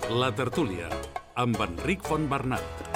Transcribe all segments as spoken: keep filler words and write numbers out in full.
La tertúlia, amb Enric Fontbernat.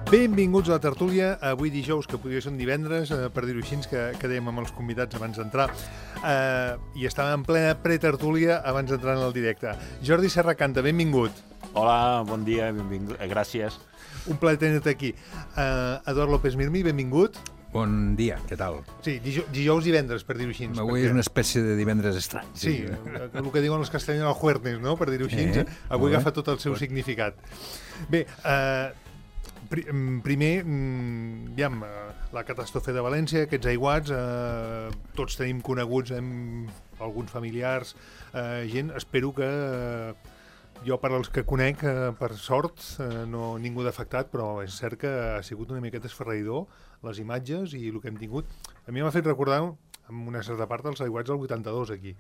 Benvinguts a la tertúlia, avui dijous, que podria ser un divendres, eh, per dir-ho així, que, que dèiem amb els convidats abans d'entrar, eh, i estàvem en plena pretertúlia abans d'entrar en el directe. Jordi Serracanta, benvingut. Hola, bon dia, benvingut, gràcies. Un plaer tenir-te aquí. Eh, Eduard López Mirmi, benvingut. Bon dia, què tal? Sí, dijous, dijous i divendres, per dir-ho així. Avui és una espècie de divendres estrany. Sí, sí, el que diuen els castellans el jueves, no?, per dir-ho així. Eh? Avui agafa tot el seu significat. Bé, eh... Primer, aviam, la catàstrofe de València, aquests aiguats, eh, tots tenim coneguts, hem, alguns familiars, eh, gent, espero que, eh, jo per als que conec, eh, per sort, eh, no ningú d'afectat, però és cert que ha sigut una miqueta esferraïdor les imatges i el que hem tingut. A mi m'ha fet recordar, amb una certa part, els aiguats del vuitanta-dos aquí,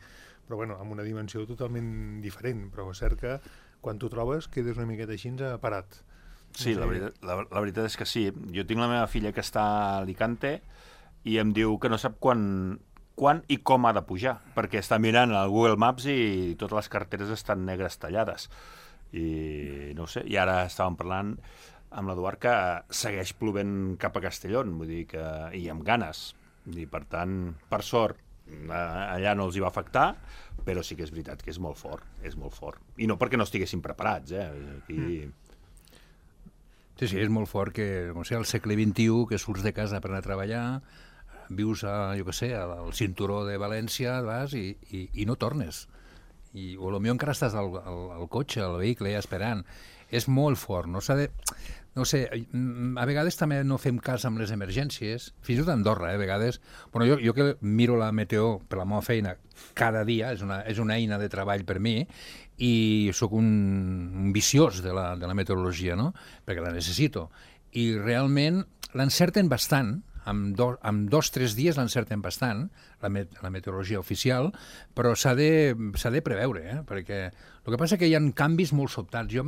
però bueno, amb una dimensió totalment diferent, però és cert que quan t'ho trobes quedes una miqueta així parat. Sí, la veritat, la, la veritat és que sí. Jo tinc la meva filla que està a Alicante i em diu que no sap quan, quan i com ha de pujar, perquè està mirant al Google Maps i totes les carreteres estan negres tallades. I no ho sé, i ara estàvem parlant amb l'Eduard que segueix plovent cap a Castellón, vull dir que, i amb ganes. I per tant, per sort, allà no els hi va afectar, però sí que és veritat que és molt fort, és molt fort. I no perquè no estiguessin preparats, eh? Aquí... Mm. Sí, sí, és molt fort que, no sé, al segle vint-i-u, que surts de casa per anar a treballar, vius a, jo què sé, al cinturó de València, vas i, i, i no tornes. I, o potser encara estàs al, al, al cotxe, al vehicle, ja esperant. És molt fort, no s'ha de... No sé, a vegades també no fem cas amb les emergències, fins i tot a Andorra, eh, a vegades. Bueno, jo, jo que miro la meteo per la meva feina cada dia, és una, és una eina de treball per mi, i sóc un, un viciós de la, de la meteorologia, no?, perquè la necessito. I realment l'encerten bastant, amb, do, amb dos o tres dies l'encerten bastant, la, met, la meteorologia oficial, però s'ha de, s'ha de preveure, eh? Perquè el que passa és que hi ha canvis molt sobtats. Jo,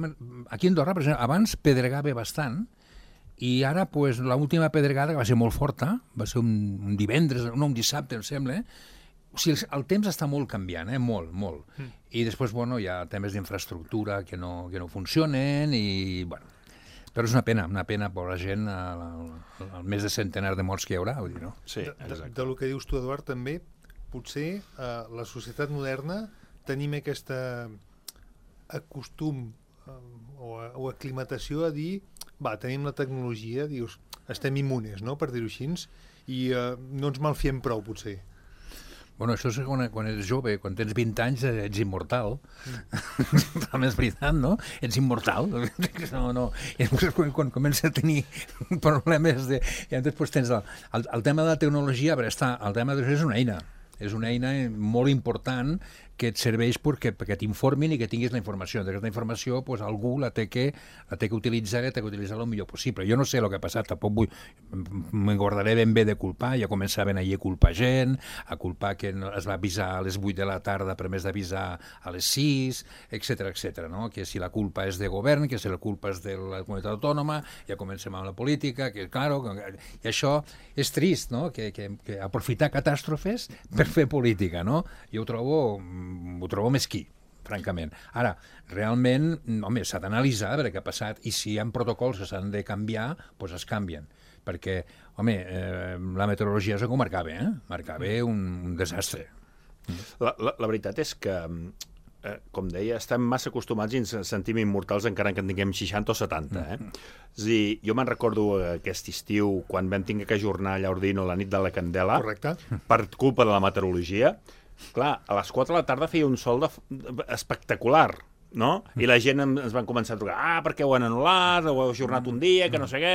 aquí a Andorra, per exemple, abans pedregava bastant, i ara, pues, l'última pedregada, que va ser molt forta, va ser un, un divendres, no, un dissabte, em sembla, o sigui, el temps està molt canviant, eh? Molt, molt. Mm. I després, bueno, hi ha temes d'infraestructura que no, que no funcionen i, bueno, però és una pena, una pena per la gent, el, el més de centenar de morts que hi haurà, vull dir, no? Sí, de, de, del que dius tu, Eduard, també, potser eh, la societat moderna tenim aquesta acostum eh, o, o aclimatació a dir, va, tenim la tecnologia, dius, estem immunes, no?, per dir-ho així, i eh, no ens malfiem prou, potser. Bueno, això és quan, quan ets jove, quan tens vint anys ets immortal. Mm. També és veritat, no? Ets immortal. No, no. I després quan, quan comença a tenir problemes de... I després tens el, el, el tema de la tecnologia, però està, el tema de és una eina. És una eina molt important que et serveix perquè, perquè t'informin i que tinguis la informació. Aquesta informació, pues, algú la té que, la té que utilitzar i la té que utilitzar el millor possible. Jo no sé el que ha passat, tampoc vull... Me'n guardaré ben bé de culpar. Ja començaven ahir a culpar gent, a culpar que es va avisar a les vuit de la tarda per més d'avisar a les sis, etcètera, etcètera, no? Que si la culpa és de govern, que si la culpa és de la comunitat autònoma, ja comencem amb la política, que, claro, i això és trist, no? Que, que, que aprofitar catàstrofes per fer política, no? Jo ho trobo... ho trobo mesquí, francament. Ara, realment, home, s'ha d'analitzar veure què ha passat i si hi ha protocols que s'han de canviar, doncs es canvien. Perquè, home, eh, la meteorologia és com marcava, eh? Marcava un, un desastre. La, la, la veritat és que, eh, com deia, estem massa acostumats i ens sentim immortals encara que en tinguem seixanta o setanta, eh? Mm. És a dir, jo me'n recordo aquest estiu, quan vam tinguer que ajornar a Llaordino la nit de la Candela, correcte, per culpa de la meteorologia. Clar, a les quatre de la tarda feia un sol de, de, espectacular, no? I la gent ens van començar a trucar, ah, perquè ho han anul·lat, ho heu ajornat un dia, que no sé què...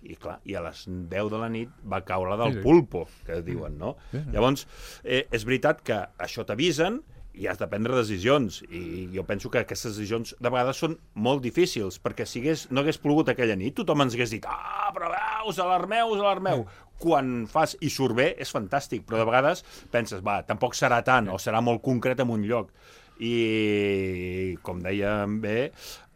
I clar, i a les deu de la nit va caure del pulpo, que diuen, no? Llavors, eh, és veritat que això t'avisen i has de prendre decisions, i jo penso que aquestes decisions de vegades són molt difícils, perquè si hagués, no hagués plogut aquella nit, tothom ens hagués dit ah, però ah, us alarmeu, us alarmeu. Quan fas i surt bé, és fantàstic, però de vegades penses, va, tampoc serà tant, o serà molt concret en un lloc. I, com dèiem bé,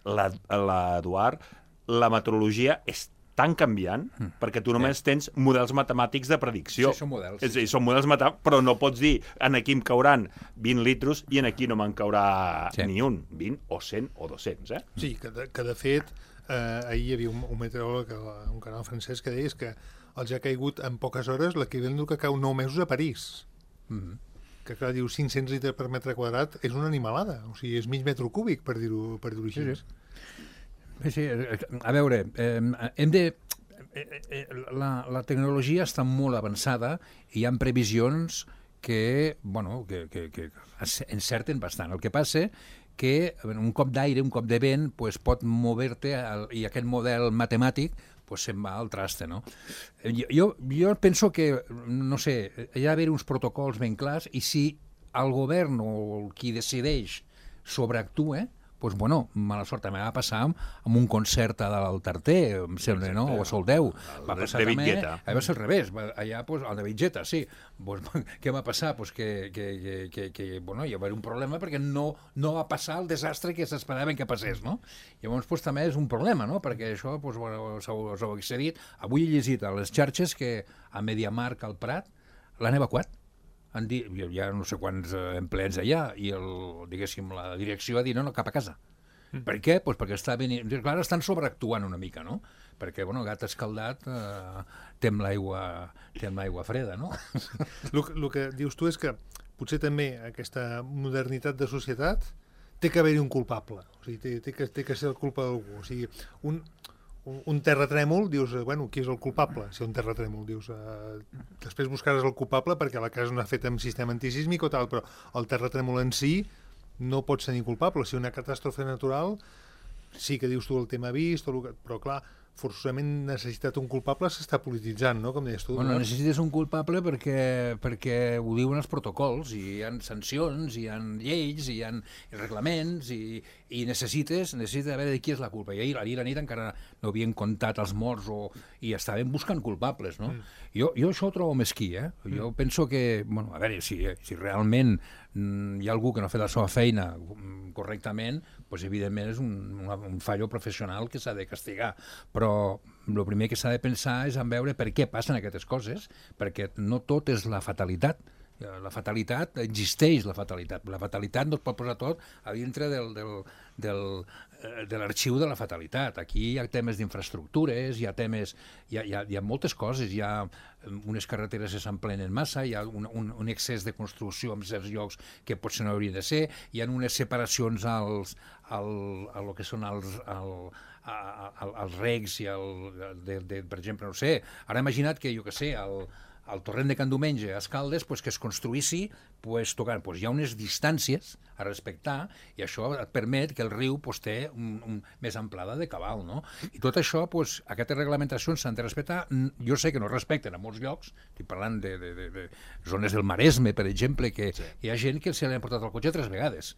l'Eduard, la meteorologia és tan canviant, mm. perquè tu només sí. tens models matemàtics de predicció. Sí, són models. És a dir, són models matemàtics, però no pots dir en aquí em cauran vint litros i en aquí no me'n caurà sí. ni un, vint o cent o dos-cents, eh? Sí, que de, que de fet, eh, ahir hi havia un, un meteoròleg a un canal francès que deia que els ha caigut en poques hores l'equivalent del que cau nou mesos a París. Mm. Que clar, diu cinc-cents litres per metre quadrat és una animalada, o sigui, és mig metre cúbic, per dir-ho per dir-ho així. Sí, sí. Sí, a veure, eh, hem de... Eh, la, la tecnologia està molt avançada i hi ha previsions que, bueno, que, que, que encerten bastant. El que passa que un cop d'aire, un cop de vent, pues, pot mover-te i aquest model matemàtic pues, se'n va al traste, no? Jo, jo penso que, no sé, hi ha d'haver uns protocols ben clars i si el govern o qui decideix sobreactua, doncs, bueno, mala sort, també va passar amb, amb un concert a dalt Tarter, em sembla, no? O a Soldeu. Va passar de també... Vitgeta. Va ser al revés, allà, pues, al de Vitgeta, sí. Pues, què va passar? Pues que, que, que, que, que, bueno, hi va haver un problema perquè no, no va passar el desastre que s'esperaven que passés, no? Llavors, pues, també és un problema, no? Perquè això, pues, bueno, s'ho heu accedit. Avui he llegit a les xarxes que a Mediamarkt al Prat l'han evacuat. Han dit, hi ha no sé quants empleats allà i el, diguéssim, la direcció ha dit no, no, cap a casa. Mm. Per què? Pues perquè està venint... Clar, estan sobreactuant una mica, no? Perquè, bueno, gat escaldat eh, tem l'aigua tem l'aigua freda, no? El que dius tu és que potser també aquesta modernitat de societat té que haver-hi un culpable. O sigui, té, té, que, té que ser el culpa d'algú. O sigui, un... Un, un terratrèmol, dius, bueno, qui és el culpable? Si un terratrèmol, dius, eh, després buscaràs el culpable perquè la casa no ha fet amb sistema antisísmic o tal, però el terratrèmol en si no pot ser ni culpable. Si una catàstrofe natural, sí que dius tu el tema vist, o el que, però clar, forçosament necessitat un culpable s'està polititzant, no? Com deies tu. Bueno, no? necessites un culpable perquè, perquè ho diuen els protocols, i hi ha sancions, hi ha lleis, hi ha reglaments, i, i necessites, necessites veure de qui és la culpa. I ahir, ahir a la nit encara no havien comptat els morts o, i estaven buscant culpables, no? Mm. Jo, jo això ho trobo mesquí, eh? Jo mm. penso que, bueno, a veure, si, si realment mm, hi ha algú que no ha fet la seva feina correctament, doncs evidentment és un, un, un fallo professional que s'ha de castigar. Però el primer que s'ha de pensar és en veure per què passen aquestes coses, perquè no tot és la fatalitat. La fatalitat, existeix la fatalitat. La fatalitat no es pot posar tot a dintre del, del, del, de l'arxiu de la fatalitat. Aquí hi ha temes d'infraestructures, hi ha temes, hi ha, hi ha, hi ha moltes coses, hi ha unes carreteres que s'emplenen massa, hi ha un, un, un excés de construcció en certs llocs que potser no haurien de ser, hi ha unes separacions als, al, a lo que són els... Al, A, a, als regs i el, de, de, per exemple, no sé, ara imagina't que, jo que sé, el, el torrent de Can Domenge a Escaldes, pues, que es construïssi pues, tocant, pues, hi ha unes distàncies a respectar i això et permet que el riu pues, té un, un, més amplada de cabal, no? I tot això, pues, aquestes reglamentacions s'han de respectar. Jo sé que no respecten a molts llocs, estic parlant de, de, de, de zones del Maresme, per exemple, que sí. Hi ha gent que se li han portat el cotxe tres vegades.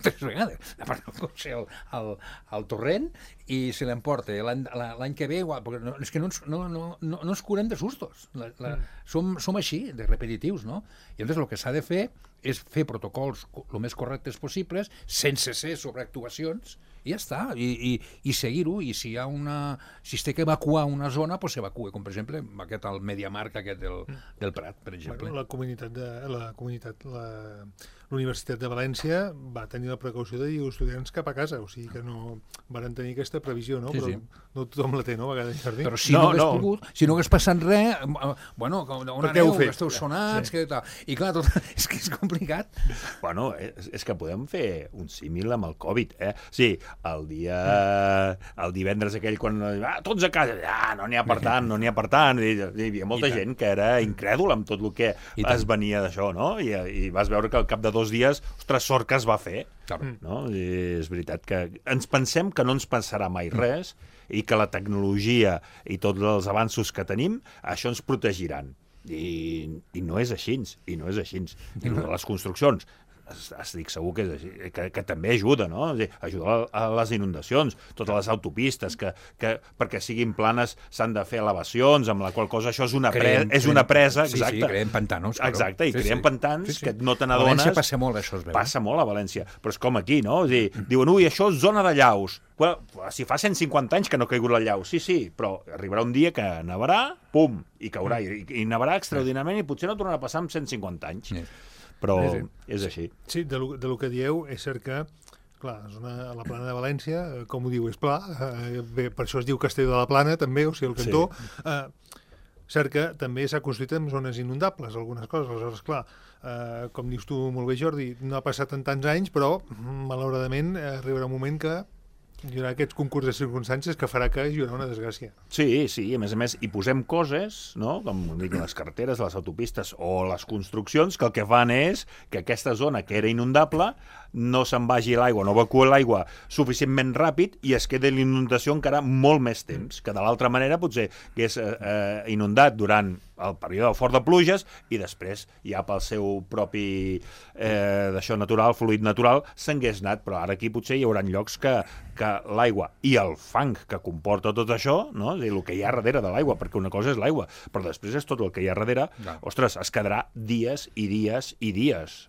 tres vegades. Ha portat el cotxe al, al, al torrent i se l'emporta l'any que ve, igual, perquè no, és que no ens, no, no, no, no ens curem de sustos. La, la, mm. som, som així, de repetitius, no? I llavors el que s'ha de fer és fer protocols el més correctes possibles, sense ser sobreactuacions, i ja està, i, i, i seguir-ho, i si hi ha una... si es té que evacuar una zona, doncs s'evacua, com per exemple aquest, el Mediamarkt aquest del, del Prat, per exemple. Bueno, la comunitat de... la comunitat... la... L'Universitat de València va tenir la precaució de dir als estudiants cap a casa, o sigui que no van tenir aquesta previsió, no? Sí, Però sí. no tothom la té, no? A vegades, Jordi? Però si no, no hagués no. pogut, si no hagués passat res, bueno, una neu, que esteu sonats, sí. que tal. I clar, tot, és que és complicat. Bueno, és, és que podem fer un símil amb el Covid, eh? Sí, el dia... el divendres aquell, quan... Ah, tots a casa, ah, no n'hi ha per tant, no n'hi ha per tant. I, hi havia molta gent que era incrèdula amb tot el que es venia d'això, no? I, I vas veure que al cap de dos dies, ostres, sort que es va fer. Claro. No? I és veritat que ens pensem que no ens passarà mai res i que la tecnologia i tots els avanços que tenim, això ens protegiran. I, i no és així, i no és així. I les construccions, estic segur que, que, que també ajuda, no? Ajuda a les inundacions, totes les autopistes, que, que perquè siguin planes s'han de fer elevacions, amb la qual cosa això és una, creem, pre, és creem, una presa, exacte. Sí, sí, creem pantanos. Claro. Exacte, i sí, creem sí. pantans sí, sí. que no te n'adones. A València passa molt, això es veu. Passa molt a València, però és com aquí, no? És dir, diuen, ui, això és zona de llaus. Well, si fa cent cinquanta anys que no ha caigut la llau, sí, sí, però arribarà un dia que nevarà, pum, i caurà, i, i nevarà extraordinàriament i potser no tornarà a passar amb cent cinquanta anys. Sí. Però sí, sí. és així. Sí, de lo, de lo que dieu és cert que, clar, és una, la plana de València, com ho diu, és pla, eh, bé, per això es diu Castell de la Plana, també, o sigui, el cantó. Sí. Eh, cert que també s'ha construït en zones inundables, algunes coses, aleshores, clar, eh, com dius tu molt bé, Jordi, no ha passat en tants anys, però, malauradament, arribarà un moment que hi haurà aquests concurs de circumstàncies que farà que hi haurà una desgràcia. Sí, sí, a més a més, hi posem coses, no?, com dic, les carreteres, les autopistes o les construccions, que el que fan és que aquesta zona que era inundable no se'n vagi l'aigua, no evacua l'aigua suficientment ràpid i es queda l'inundació encara molt més temps, que de l'altra manera potser hagués eh, inundat durant el període fort de pluges i després ja pel seu propi eh, d'això natural, fluid natural, s'hagués anat, però ara aquí potser hi haurà llocs que, que l'aigua i el fang que comporta tot això, no? És a dir, el que hi ha darrere de l'aigua, perquè una cosa és l'aigua, però després és tot el que hi ha darrere, no. Ostres, es quedarà dies i dies i dies.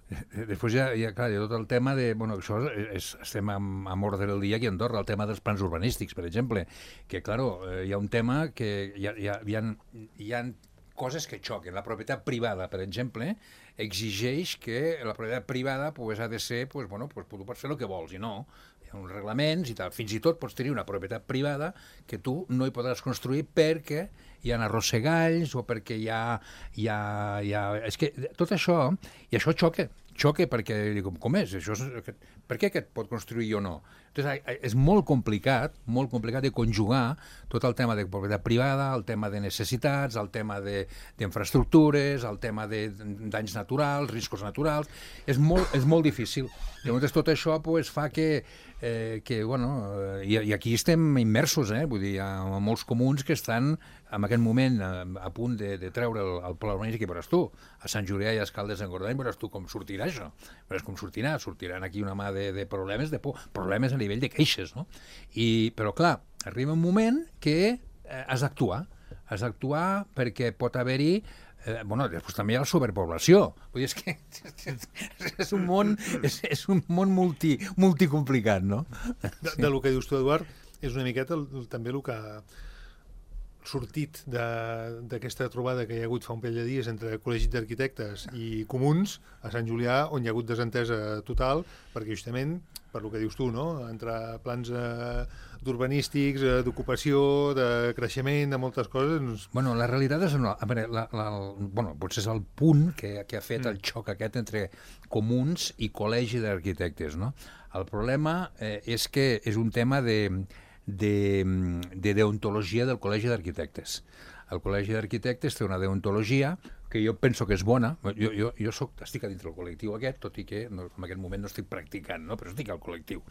Després hi ha, hi ha, clar, hi ha tot el tema de, bueno, això és, estem amb, amb ordre del dia aquí a Andorra, el tema dels plans urbanístics, per exemple, que, claro, hi ha un tema que hi ha, hi ha, hi ha, hi ha coses que xoquen. La propietat privada, per exemple, exigeix que la propietat privada pues, ha de ser, pues, bueno, pues, tu pots fer el que vols, i no. Hi ha uns reglaments i tal. Fins i tot pots tenir una propietat privada que tu no hi podràs construir perquè hi ha arrossegalls o perquè hi ha... Hi ha, hi ha... És que tot això, i això xoca, xoca perquè, com, com és? Això és per què aquest pot construir o no? Entonces, és molt complicat, molt complicat de conjugar tot el tema de propietat privada, el tema de necessitats, el tema d'infraestructures, el tema de danys naturals, riscos naturals. És molt, és molt difícil. Llavors, tot això pues, fa que, eh, que bueno, i, i aquí estem immersos, eh? Vull dir, hi ha molts comuns que estan en aquest moment a, a punt de, de treure el, el pla urbanístic, que veuràs tu, a Sant Julià i a Escaldes d'Engordany, veuràs tu com sortirà això. Veuràs com sortirà, sortiran aquí una mà de, de problemes, de por, problemes a nivell de queixes, no? I, però clar, arriba un moment que eh, has d'actuar, has d'actuar perquè pot haver-hi Eh, bueno, després també hi ha la superpoblació. Vull dir, és que és un món, és, és un món multi, multicomplicat, no? De, de lo que dius tu, Eduard, és una miqueta el, el, també el que ha sortit d'aquesta trobada que hi ha hagut fa un parell de dies entre col·legis d'arquitectes i comuns a Sant Julià, on hi ha hagut desentesa total, perquè justament, per lo que dius tu, no? Entre plans eh, d'urbanístics, eh, d'ocupació, de creixement, de moltes coses... Doncs... Bueno, la realitat és... A veure, la, la, el, bueno, potser és el punt que, que ha fet mm. el xoc aquest entre comuns i col·legi d'arquitectes, no? El problema eh, és que és un tema de... De, de deontologia del Col·legi d'Arquitectes. El Col·legi d'Arquitectes té una deontologia que jo penso que és bona. Jo, jo, jo soc, estic a dintre del col·lectiu aquest, tot i que no, en aquest moment no estic practicant, no? Però estic al col·lectiu.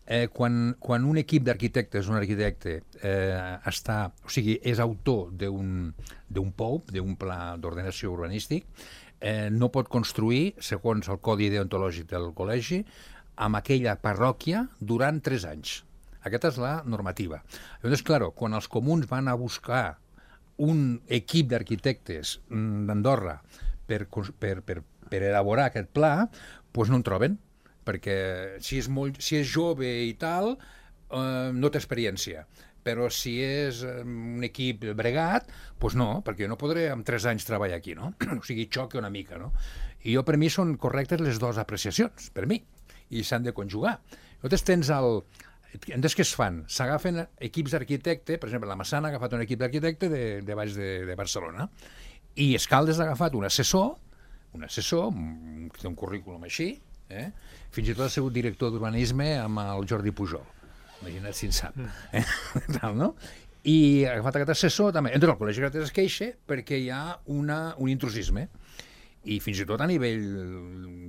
Eh, quan, quan un equip d'arquitectes, un arquitecte, eh, està, o sigui, és autor d'un d'un P O U, d'un pla d'ordenació urbanístic, eh, no pot construir, segons el codi deontològic del col·legi, amb aquella parròquia durant tres anys. Aquesta és la normativa. Llavors, clar, quan els comuns van a buscar un equip d'arquitectes d'Andorra per, per, per, per elaborar aquest pla, doncs no en troben, perquè si és, molt, si és jove i tal, eh, no té experiència. Però si és un equip bregat, doncs no, perquè jo no podré en tres anys treballar aquí, no? O sigui, xoca una mica, no? I jo, per mi, són correctes les dues apreciacions, per mi, i s'han de conjugar. Llavors tens el... Entonces, què es fan? S'agafen equips d'arquitecte, per exemple, la Massana ha agafat un equip d'arquitecte de, de baix de, de Barcelona, i Escaldes ha agafat un assessor, un assessor, que té un currículum així, eh? Fins i tot ha sigut director d'urbanisme amb el Jordi Pujol. Imagina't si en sap. Eh? Tal, no? I ha agafat aquest assessor també. Entonces, el Col·legi d'Arquitectes es queixa perquè hi ha una, un intrusisme, i fins i tot a nivell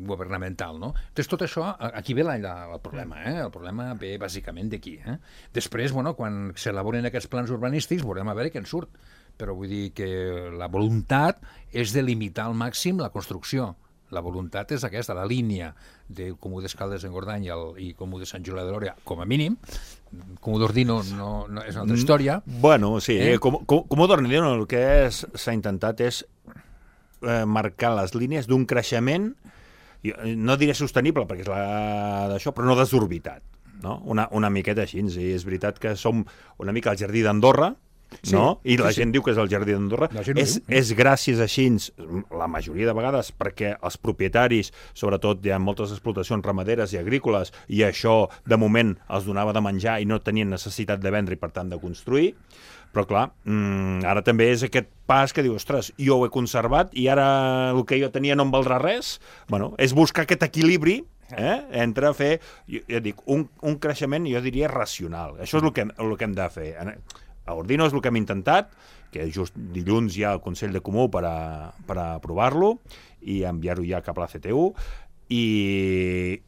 governamental, no? Entonces, tot això, aquí ve la, la, el problema, eh? El problema ve bàsicament d'aquí, eh? Després, bueno, quan s'elaboren aquests plans urbanístics, veurem a veure què en surt, però vull dir que la voluntat és de limitar al màxim la construcció, La voluntat és aquesta, la línia de Comú d'Escaldes en Gordany i, el, i Comú de Sant Julià de Lòria, com a mínim. Comú d'Ordino no, no, és una altra història. Bueno, sí, Eh? eh? com, com, Comú d'Ordino el que s'ha intentat és eh, marcar les línies d'un creixement, no diré sostenible, perquè és la d'això, però no desorbitat. No? Una, una miqueta així. I és veritat que som una mica al jardí d'Andorra, Sí, no? I la sí, sí. gent diu que és el jardí d'Andorra. És, diu. és gràcies així, la majoria de vegades, perquè els propietaris, sobretot hi ha moltes explotacions ramaderes i agrícoles, i això, de moment, els donava de menjar i no tenien necessitat de vendre i, per tant, de construir. Però, clar, mmm, ara també és aquest pas que diu, ostres, jo ho he conservat i ara el que jo tenia no em valdrà res. Bueno, és buscar aquest equilibri eh? entre fer, jo, jo dic, un, un creixement, jo diria, racional. Això és el que, el que hem de fer. A Ordino és el que hem intentat, que just dilluns hi ha el Consell de Comú per a, per a aprovar-lo i enviar-ho ja cap a la C T U, i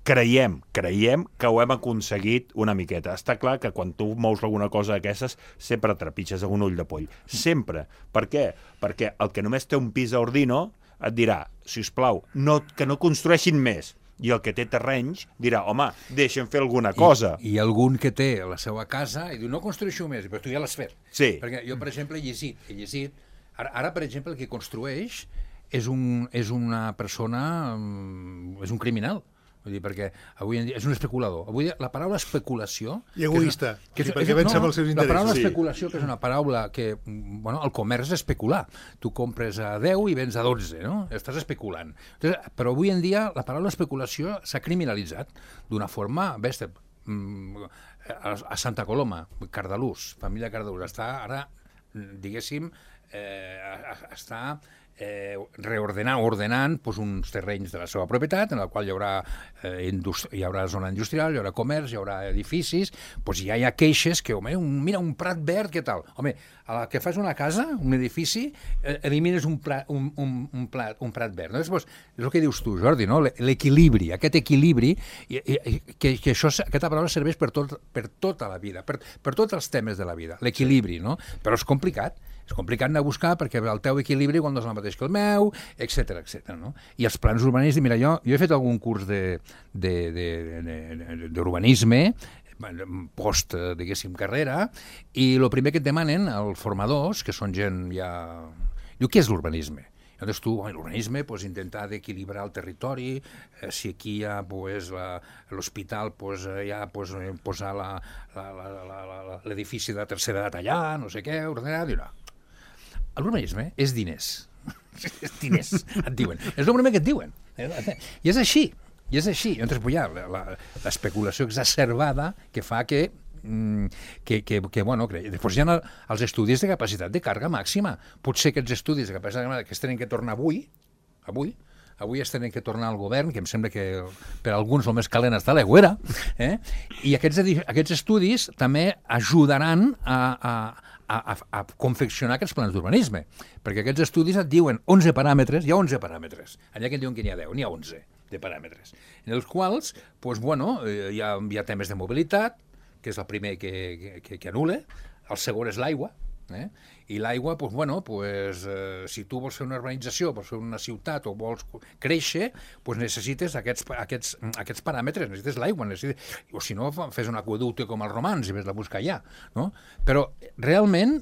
creiem, creiem que ho hem aconseguit una miqueta. Està clar que quan tu mous alguna cosa d'aquestes sempre trepitges un ull de poll. Sempre. Per què? Perquè el que només té un pis a Ordino et dirà, si us plau, no, que no construeixin més. I el que té terrenys dirà, home, deixa'm fer alguna cosa. I, I algun que té la seva casa i diu, no construeixo més, però tu ja l'has fet. Sí. Perquè jo, per exemple, he llegit, he llegit ara, ara, per exemple, el que construeix és, un, és una persona, és un criminal. Vull dir, perquè avui en dia és un especulador. Avui la paraula especulació... I egoista, que és, sí, perquè pensa en els seus interessos. La paraula Sí. especulació, que és una paraula que... Bueno, el comerç és especular. Tu compres a deu i vens a dotze, no? Estàs especulant. Entonces, però avui en dia la paraula especulació s'ha criminalitzat d'una forma bèstia. A Santa Coloma, Cardalús, família Cardalús, està ara, diguéssim, eh, està... Eh, reordenant, ordenant pues, uns terrenys de la seva propietat en el qual hi haurà, eh, hi haurà zona industrial, hi haurà comerç, hi haurà edificis, pues ja hi ha queixes que, home, un, mira, un prat verd, què tal? Home, a la que fas una casa, un edifici, eh, elimines un, pla, un, un, un, plat, un prat verd. No? Pues, és el que dius tu, Jordi, no? L'equilibri, aquest equilibri, i, i, que, que això, aquesta paraula serveix per, tot, per tota la vida, per, per tots els temes de la vida, l'equilibri, no? Però és complicat. És complicat anar a buscar perquè el teu equilibri quan no és el mateix que el meu, etcètera, etcètera, no? I els plans urbanístics, mira, jo, jo he fet algun curs d'urbanisme, post, diguéssim, carrera, i el primer que et demanen, els formadors, que són gent ja... Diu, què és l'urbanisme? Llavors tu, l'urbanisme, pues, intentar d'equilibrar el territori, eh, si aquí hi ha pues, l'hospital, pues, hi ha pues, posar l'edifici de la tercera edat allà, no sé què, ordenar, dir, no. L'urbanisme és diners. És diners, et diuen. És el primer que et diuen. I és així. I és així. Llavors, pues, hi ha l'especulació exacerbada que fa que que, que, que bueno, que després hi ha els estudis de capacitat de càrrega màxima. Potser aquests estudis de capacitat de càrrega que es tenen que tornar avui, avui, avui es tenen que tornar al govern, que em sembla que per alguns el més calent està a l'aigüera, eh? I aquests, aquests estudis també ajudaran a, a, a, a, a confeccionar aquests plans d'urbanisme, perquè aquests estudis et diuen onze paràmetres, hi ha onze paràmetres, allà que et diuen que n'hi ha deu, n'hi ha onze de paràmetres, en els quals pues, bueno, hi, ha, hi ha temes de mobilitat, que és el primer que, que, que anul·la, el segon és l'aigua, eh? I l'aigua, pues, bueno, pues, eh, si tu vols fer una urbanització, vols fer una ciutat o vols créixer, pues necessites aquests, aquests, aquests paràmetres, necessites l'aigua, necessites... o si no, fes un aqüeducte com els romans i ves a buscar allà. No? Però realment,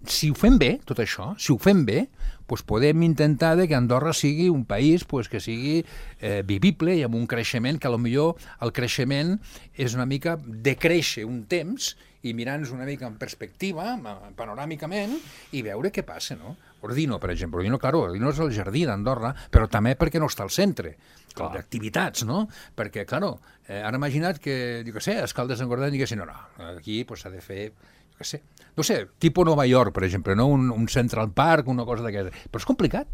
si ho fem bé, tot això, si ho fem bé, pues podem intentar que Andorra sigui un país pues, que sigui eh, vivible i amb un creixement que potser el creixement és una mica decréixer un temps i mirar-nos una mica en perspectiva, panoràmicament, i veure què passa, no? Ordino, per exemple. Ordino, claro, Ordino és el jardí d'Andorra, però també perquè no està al centre d'activitats, no? Perquè, claro, eh, ara imagina't que, jo què sé, Escaldes en Gordany diguessin, no, no, aquí s'ha pues, de fer, jo què sé, no sé, tipus Nova York, per exemple, no? un, un Central Park, una cosa d'aquesta. Però és complicat.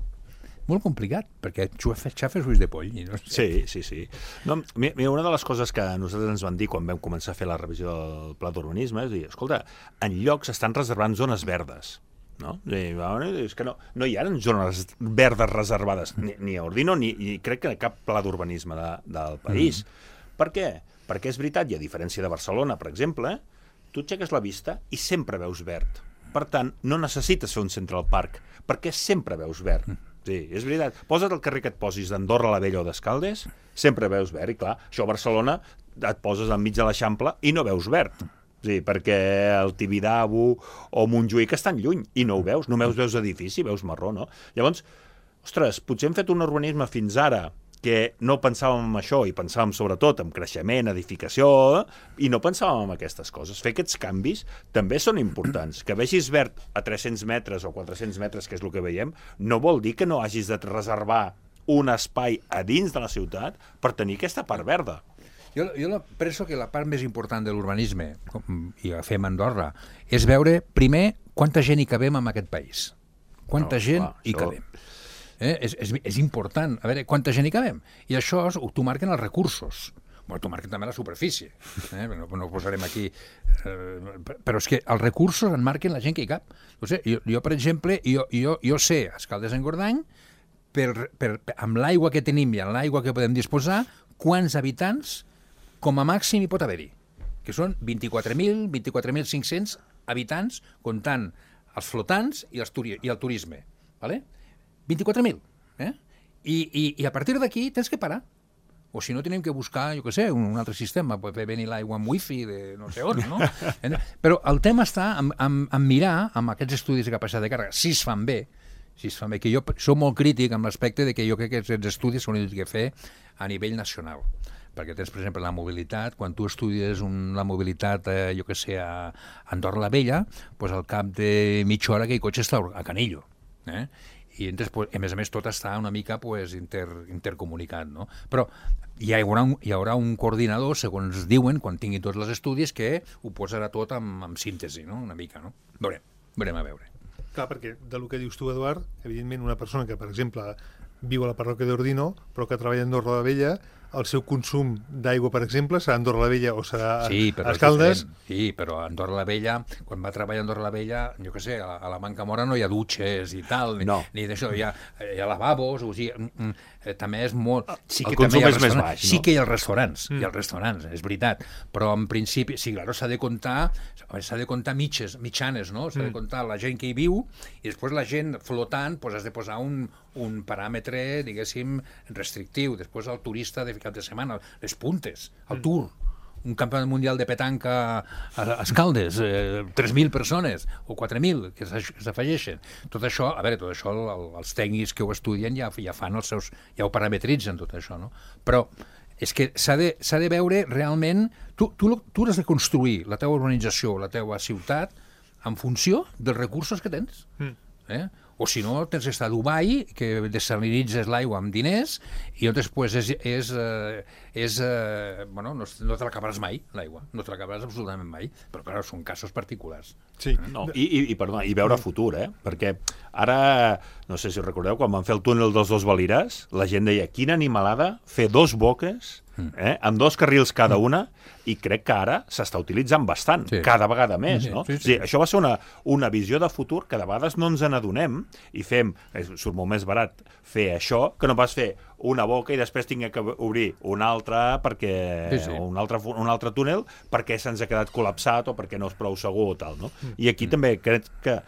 Molt complicat, perquè xafes ulls de poll. No sé. Sí, sí, sí. No, mira, una de les coses que nosaltres ens van dir quan vam començar a fer la revisió del pla d'urbanisme és dir, escolta, en llocs estan reservant zones verdes. No? És que no, no hi ha zones verdes reservades, ni, ni a Ordino, ni, ni crec que cap pla d'urbanisme de, del país. Mm. Per què? Perquè és veritat, i a diferència de Barcelona, per exemple, tu aixeques la vista i sempre veus verd. Per tant, no necessites fer un Central Park, perquè sempre veus verd. Mm. Sí, és veritat. Posa't el carrer que et posis d'Andorra la Vella o d'Escaldes, sempre veus verd, i clar, això a Barcelona et poses enmig de l'Eixample i no veus verd. Sí, perquè el Tibidabo o Montjuïc estan lluny i no ho veus, només veus edifici, veus marró, no? Llavors, ostres, potser hem fet un urbanisme fins ara que no pensàvem en això i pensàvem sobretot en creixement, edificació, i no pensàvem en aquestes coses. Fer aquests canvis també són importants. Que vegis verd a tres-cents metres o quatre-cents metres, que és el que veiem, no vol dir que no hagis de reservar un espai a dins de la ciutat per tenir aquesta part verda. Jo, jo penso que la part més important de l'urbanisme, i la fem a Andorra, és veure, primer, quanta gent hi cabem en aquest país. Quanta no, gent clar, hi això... cabem. Eh? És, és, és important, a veure, quanta gent hi cabem. I això t'ho marquen els recursos. Bueno, t'ho marquen també la superfície. Eh? No, no ho posarem aquí. Eh, però és que els recursos en marquen la gent que hi cap. No sé, jo, jo, per exemple, jo, jo, jo sé, a Escaldes-Engordany, per, per, per, amb l'aigua que tenim i amb l'aigua que podem disposar, quants habitants com a màxim hi pot haver-hi. Que són vint-i-quatre mil, vint-i-quatre mil cinc-cents habitants, comptant els flotants i, els turi i el turisme. Vale? vint-i-quatre mil. Eh? I, i, I a partir d'aquí tens que parar. O si no, tenim que buscar, jo què sé, un altre sistema, per fer venir l'aigua amb wifi de no sé on, no? Però el tema està en, en, en mirar, amb aquests estudis de capacitat de càrrega, si es fan bé, si es fan bé, que jo soc molt crític amb l'aspecte de que jo crec que aquests estudis s'han de fer a nivell nacional. Perquè tens, per exemple, la mobilitat. Quan tu estudies un, la mobilitat, eh, jo què sé, a Andorra la Vella, doncs al cap de mitja hora aquell cotxe està a Canillo. Eh? I entonces, pues, a més a més tot està una mica pues, inter, intercomunicat, no? Però hi haurà, un, hi haurà un coordinador, segons diuen, quan tingui tots els estudis, que ho posarà tot amb, amb síntesi, no? Una mica, no? Veurem, veurem a veure. Clar, perquè del que dius tu, Eduard, evidentment una persona que, per exemple, viu a la parròquia d'Ordino, però que treballa a Andorra la Vella, el seu consum d'aigua, per exemple, serà a Andorra la Vella o serà sí, a Escaldes? Sí, però a Andorra la Vella, quan va treballar a Andorra la Vella, jo què sé, a, a la Manca Mora no hi ha dutxes i tal, ni, no. ni d'això, hi ha, hi ha lavabos, o sigui, mm, eh, també és molt... Sí que el consum és més baix, sí no? que hi ha els restaurants, mm. hi ha els restaurants, és veritat, però en principi, sí, clar, s'ha de comptar, s'ha de comptar mitges, mitjanes, no? S'ha mm. de comptar la gent que hi viu i després la gent flotant, doncs has de posar un, un paràmetre, diguéssim, restrictiu. Després el turista de cap de setmana, les puntes, el tour, un campionat mundial de petanca a Escaldes, eh, tres mil persones o quatre mil que s'afegeixen. Tot això, a veure, tot això el, els tècnics que ho estudien ja, ja fan els seus, ja ho parametritzen tot això, no? Però és que s'ha de, s'ha de veure realment, tu, tu, tu has de construir la teva urbanització, la teva ciutat, en funció dels recursos que tens. Mm. Eh? O si no, tens d'estar a Dubai, que desalinitzes l'aigua amb diners, i llavors pues, és, és, eh, és eh, bueno, no, no te l'acabaràs mai, l'aigua, no te l'acabaràs absolutament mai, però clar, són casos particulars. Sí. No, i, i, i, perdona, i veure futur, eh? Perquè ara, no sé si recordeu, quan van fer el túnel dels dos Valires, la gent deia, quina animalada fer dos boques, eh, amb dos carrils cada una, i crec que ara s'està utilitzant bastant, sí. cada vegada més, no? Sí, sí, sí. O sigui, això va ser una, una visió de futur que de vegades no ens n'adonem i fem, surt molt més barat fer això que no pas fer una boca i després tinc que obrir una altra perquè sí, sí. Un, altre, un altre túnel perquè se'ns ha quedat col·lapsat o perquè no és prou segur o tal, no? I aquí mm. també crec que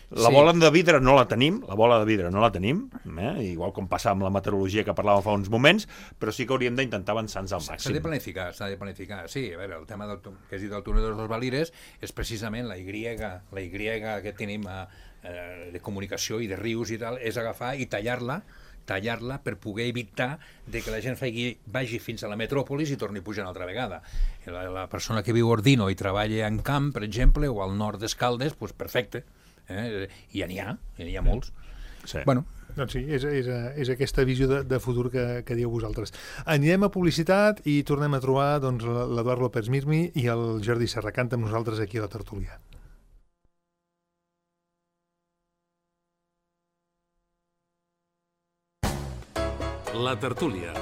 la bola sí. de vidre no la tenim, la bola de vidre no la tenim, eh? Igual com passa amb la meteorologia que parlàvem fa uns moments, però sí que hauríem d'intentar avançar-nos al màxim. S'ha de planificar, s'ha de planificar. Sí, a veure, el tema del, que has dit del túnel dels dos Valires és precisament la Y, la Y que tenim a, eh, de comunicació i de rius i tal, és agafar i tallar-la tallar-la per poder evitar de que la gent faci, vagi fins a la metròpolis i torni a pujar una altra vegada. La, la persona que viu a Ordino i treballa en camp, per exemple, o al nord d'Escaldes, doncs perfecte. Eh? I ja n'hi ha, ja n'hi ha molts. Sí. Bueno. Doncs sí, és, és, és aquesta visió de, de futur que, que dieu vosaltres. Anirem a publicitat i tornem a trobar doncs, l'Eduard López Mirmi i el Jordi Serracant amb nosaltres aquí a la tertúlia. La tertúlia,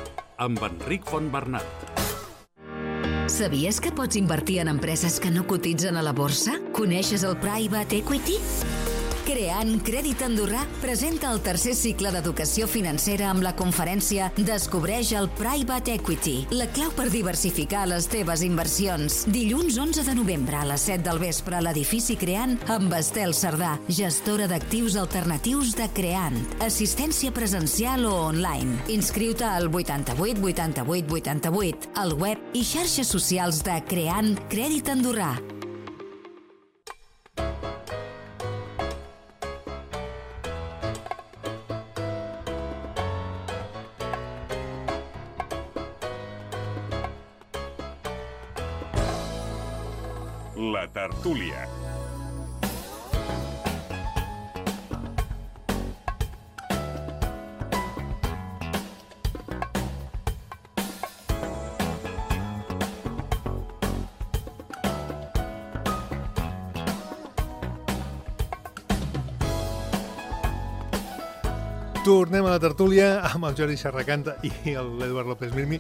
amb Enric Fontbernat. Sabies que pots invertir en empreses que no cotitzen a la borsa? Coneixes el Private Equity? Creant Crèdit Andorrà presenta el tercer cicle d'educació financera amb la conferència Descobreix el Private Equity, la clau per diversificar les teves inversions. Dilluns onze de novembre a les set del vespre a l'edifici Creant amb Estel Cerdà, gestora d'actius alternatius de Creant. Assistència presencial o online. Inscriu-te al vuitanta-vuit vuitanta-vuit vuitanta-vuit, al web i xarxes socials de Creant Crèdit Andorrà. La tertúlia. Tornem a la tertúlia amb el Jordi Serracanta i l'Eduard López Mirmi.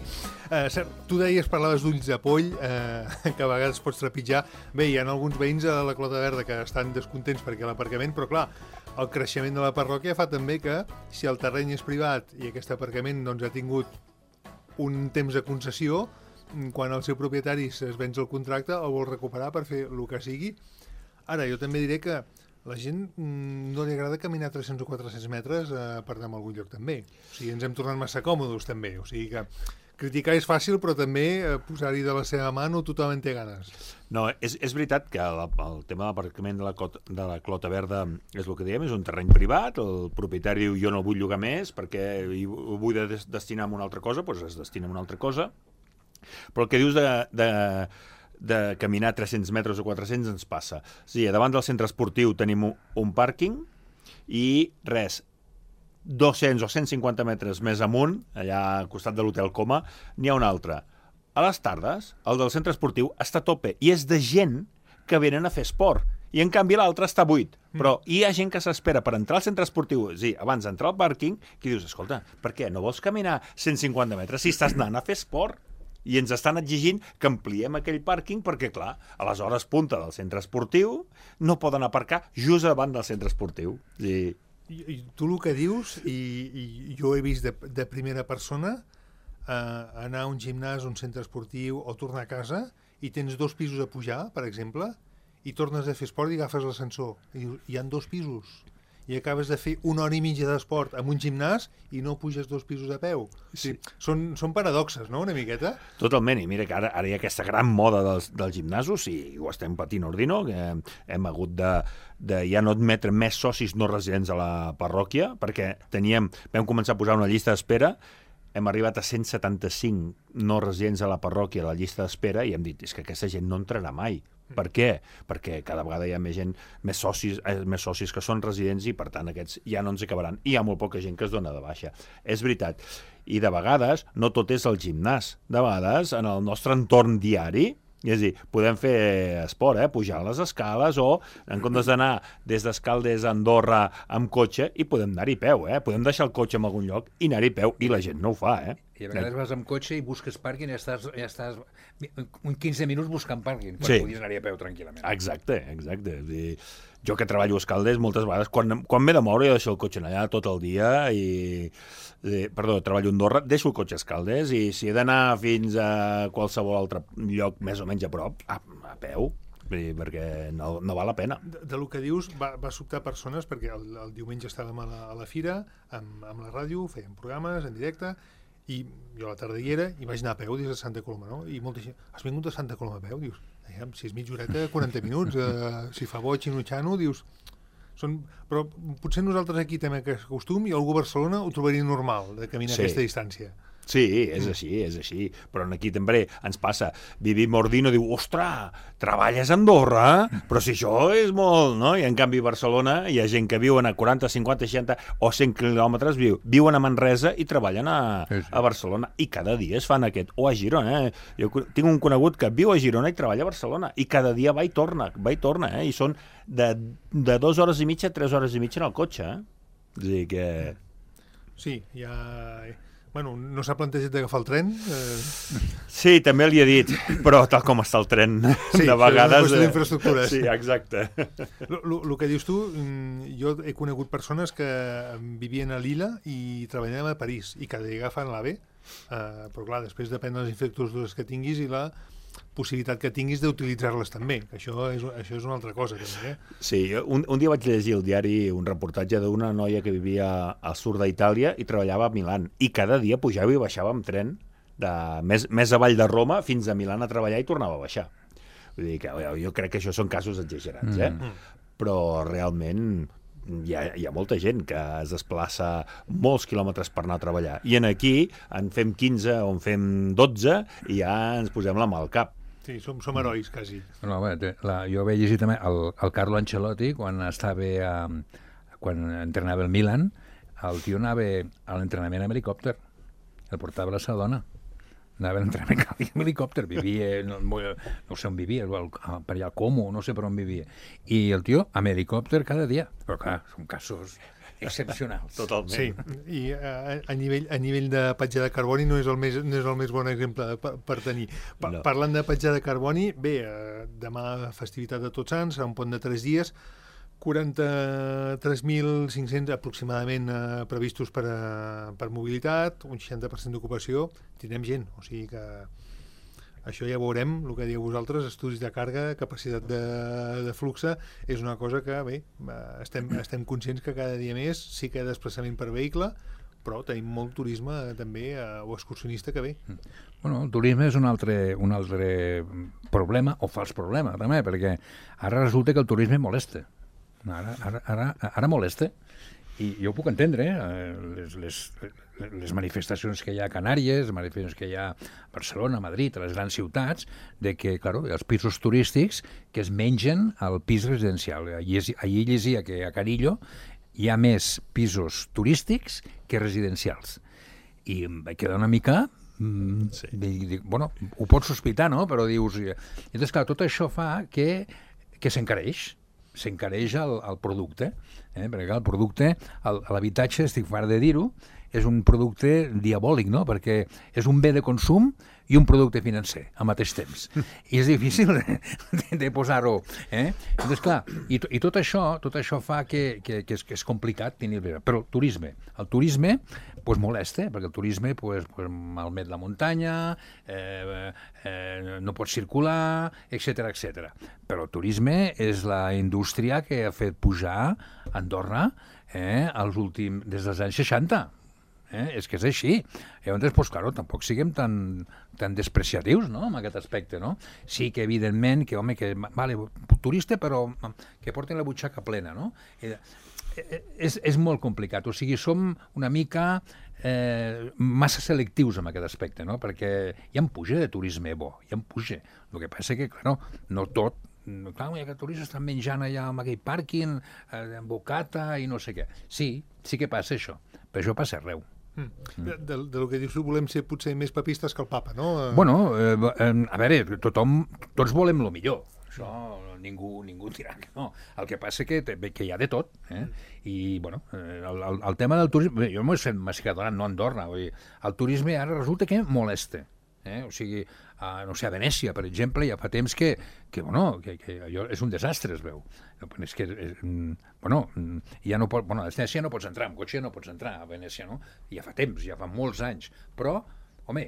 Eh, cert, tu deies, parlaves d'ulls de poll, eh, que a vegades pots trepitjar. Bé, hi ha alguns veïns a la Clota Verda que estan descontents perquè l'aparcament, però clar, el creixement de la parròquia fa també que si el terreny és privat i aquest aparcament doncs, ha tingut un temps de concessió, quan el seu propietari es venç el contracte el vol recuperar per fer el que sigui. Ara, jo també diré que la gent no li agrada caminar tres-cents o quatre-cents metres eh, per anar a algun lloc també. O sigui, ens hem tornat massa còmodes també. O sigui que criticar és fàcil, però també eh, posar-hi de la seva mà no tothom en té ganes. No, és, és veritat que la, el tema de l'aparcament de, la clota, de la Clota Verda és el que diem, és un terreny privat, el propietari diu jo no vull llogar més perquè ho vull de destinar a una altra cosa, doncs es destina a una altra cosa. Però el que dius de... de de caminar tres-cents metres o quatre-cents ens passa. Sí, davant del centre esportiu tenim un pàrquing i res, dos-cents o cent cinquanta metres més amunt, allà al costat de l'Hotel Coma, n'hi ha un altre. A les tardes, el del centre esportiu està a tope i és de gent que venen a fer esport. I en canvi l'altre està buit. Però hi ha gent que s'espera per entrar al centre esportiu, sí, abans d'entrar al pàrquing, que dius, escolta, per què no vols caminar cent cinquanta metres si estàs anant a fer esport? I ens estan exigint que ampliem aquell pàrquing perquè, clar, a les hores punta del centre esportiu no poden aparcar just davant del centre esportiu. I... I, i tu el que dius, i, i jo he vist de, de primera persona, eh, anar a un gimnàs, un centre esportiu o tornar a casa i tens dos pisos a pujar, per exemple, i tornes a fer esport i agafes l'ascensor. I dius, hi ha dos pisos. I acabes de fer una hora i mitja d'esport en un gimnàs i no puges dos pisos a peu. Sí. Són, són paradoxes, no?, una miqueta? Totalment, i mira que ara, ara hi ha aquesta gran moda dels, dels gimnasos i ho estem patint ordino, que hem hagut de, de ja no admetre més socis no residents a la parròquia, perquè teníem, vam començar a posar una llista d'espera, hem arribat a cent setanta-cinc no residents a la parròquia a la llista d'espera i hem dit, és que aquesta gent no entrarà mai. Per què? Perquè cada vegada hi ha més gent, més socis, eh, més socis que són residents i per tant aquests ja no ens acabaran. I hi ha molt poca gent que es dona de baixa. És veritat. I de vegades no tot és el gimnàs. De vegades en el nostre entorn diari, és a dir, podem fer esport, eh? Pujar les escales o en comptes d'anar des d'Escaldes a Andorra amb cotxe i podem anar-hi a peu, eh? Podem deixar el cotxe en algun lloc i anar-hi a peu i la gent no ho fa, eh? I a vegades vas amb cotxe i busques pàrquing i ja estàs, ja estàs un quinze minuts buscant pàrquing, quan sí. podies anar-hi a peu tranquil·lament. Exacte, exacte. I jo que treballo a Escaldes, moltes vegades, quan, quan m'he de moure, jo deixo el cotxe allà tot el dia i... i perdó, treballo a Andorra, deixo el cotxe a Escaldes i si he d'anar fins a qualsevol altre lloc més o menys a prop, a, a peu, perquè no, no val la pena. De, de lo que dius, va, va sobtar persones, perquè el, el diumenge estàvem a la, a la fira, amb, amb la ràdio, fèiem programes en directe, i jo a la tarda hi era i vaig anar a peu des de Santa Coloma, no? I molta gent, has vingut a Santa Coloma a peu? Dius, si és mitja horeta, quaranta minuts, eh, si fa boig i nutxano, dius... Són... Però potser nosaltres aquí tenim aquest costum i algú a Barcelona ho trobaria normal, de caminar sí. aquesta distància. Sí, és així, és així. Però aquí també ens passa. Vivim Ordino diu, ostres, treballes a Andorra? Però si això és molt, no? I en canvi a Barcelona hi ha gent que viuen a quaranta, cinquanta, seixanta o cent quilòmetres, viu, viuen a Manresa i treballen a, sí, sí. a Barcelona. I cada dia es fan aquest. O a Girona, eh? Jo tinc un conegut que viu a Girona i treballa a Barcelona. I cada dia va i torna, va i torna, eh? I són de, de dues hores i mitja a tres hores i mitja en el cotxe, eh? És a dir que... Sí, hi ha... Bueno, no s'ha plantejat d'agafar el tren? Eh... Sí, també li he dit, però tal com està el tren, sí, de vegades... Sí, és una qüestió d'infraestructures. Sí, exacte. El que dius tu, jo he conegut persones que vivien a Lila i treballaven a París i cada dia agafen l'AVE, eh, però clar, després depèn de les infraestructures que tinguis i la possibilitat que tinguis d'utilitzar-les també, que això és, això és una altra cosa també, eh? Sí, un, un dia vaig llegir al diari un reportatge d'una noia que vivia al sud d'Itàlia i treballava a Milan, i cada dia pujava i baixava amb tren de, més, més avall de Roma fins a Milan a treballar i tornava a baixar. Vull dir que jo crec que això són casos exagerats, eh? Mm. Però realment hi ha, hi ha molta gent que es desplaça molts quilòmetres per anar a treballar, i en aquí en fem quinze o en fem dotze i ja ens posem la mà al cap. Sí, som, som herois, quasi. No, bé, la, jo vaig llegir també el, el Carlo Ancelotti, quan estava a, quan entrenava el Milan, el tio anava a l'entrenament amb helicòpter, el portava la seva dona. Anava a l'entrenament amb helicòpter, vivia, no, no sé on vivia, per allà al Como, no sé per on vivia. I el tio amb helicòpter cada dia. Però clar, són casos excepcionals. Totalment. Sí, i a, a, nivell, a nivell de petjada de carboni no és el més, no és el més bon exemple per, per tenir. Pa, no. Parlant de petjada de carboni, bé, eh, demà festivitat de Tots Sants, a un pont de tres dies, quaranta-tres mil cinc-cents aproximadament eh, previstos per, a, per mobilitat, un seixanta per cent d'ocupació, tindrem gent, o sigui que això ja veurem, el que dieu vosaltres, estudis de càrrega, capacitat de, de fluxe, és una cosa que, bé, estem, estem conscients que cada dia més sí que hi ha desplaçament per vehicle, però tenim molt turisme també, o excursionista que ve. Bueno, el turisme és un altre, un altre problema, o fals problema, també, perquè ara resulta que el turisme molesta. Ara, ara, ara, ara molesta. I jo ho puc entendre, eh? les, les, les manifestacions que hi ha a Canàries, les manifestacions que hi ha a Barcelona, a Madrid, a les grans ciutats, de que, claro, els pisos turístics que es mengen al pis residencial. Allí, allí llegia que a Carillo hi ha més pisos turístics que residencials. I em vaig quedar una mica... Mm, sí. Dic, bueno, ho pots sospitar, no? Però dius... I llavors, clar, tot això fa que, que s'encareix. s'encareix el, el producte, eh? Perquè el producte, l'habitatge, estic fart de dir-ho, és un producte diabòlic, no? Perquè és un bé de consum i un producte financer al mateix temps. I és difícil de, de, de posar-ho. Eh? Doncs clar, i, i tot això tot això fa que, que, que, és, que és complicat tenir... Però el turisme, el turisme pues, molesta, perquè el turisme pues, pues, malmet la muntanya, eh, eh, no pot circular, etcètera etcètera. Però el turisme és la indústria que ha fet pujar Andorra eh, als últims, des dels anys seixanta. Eh? És que és així. Llavors, pues, claro, tampoc siguem tan, tan despreciatius, no?, en aquest aspecte, no? Sí que, evidentment, que, home, que, vale, turista, però que porten la butxaca plena, no? Eh, és, és molt complicat. O sigui, som una mica eh, massa selectius en aquest aspecte, no? Perquè hi ha puja de turisme bo, hi ha puja. El que passa que, claro, no tot, clar, hi ha que turistes estan menjant allà en aquell pàrquing, eh, en bocata i no sé què. Sí, sí que passa això, però això passa arreu. Mm. De, de, de lo que dius, volem ser potser més papistes que el papa, no? Bueno, eh, a veure, tothom, tots volem el millor. Això ningú, ningú dirà que no. El que passa que, que hi ha de tot. Eh? I, bueno, el, el, el tema del turisme... Jo m'ho he fet mascadonant, no a Andorra. Vull dir, el turisme ara resulta que molesta. Eh? O sigui, a, no sé, a Venècia, per exemple, ja fa temps que, que, bueno, que, que allò és un desastre, es veu. És que, és, bueno, ja no pot, bueno, a Venècia no pots entrar, amb cotxe no pots entrar a Venècia, no? Ja fa temps, ja fa molts anys. Però, home,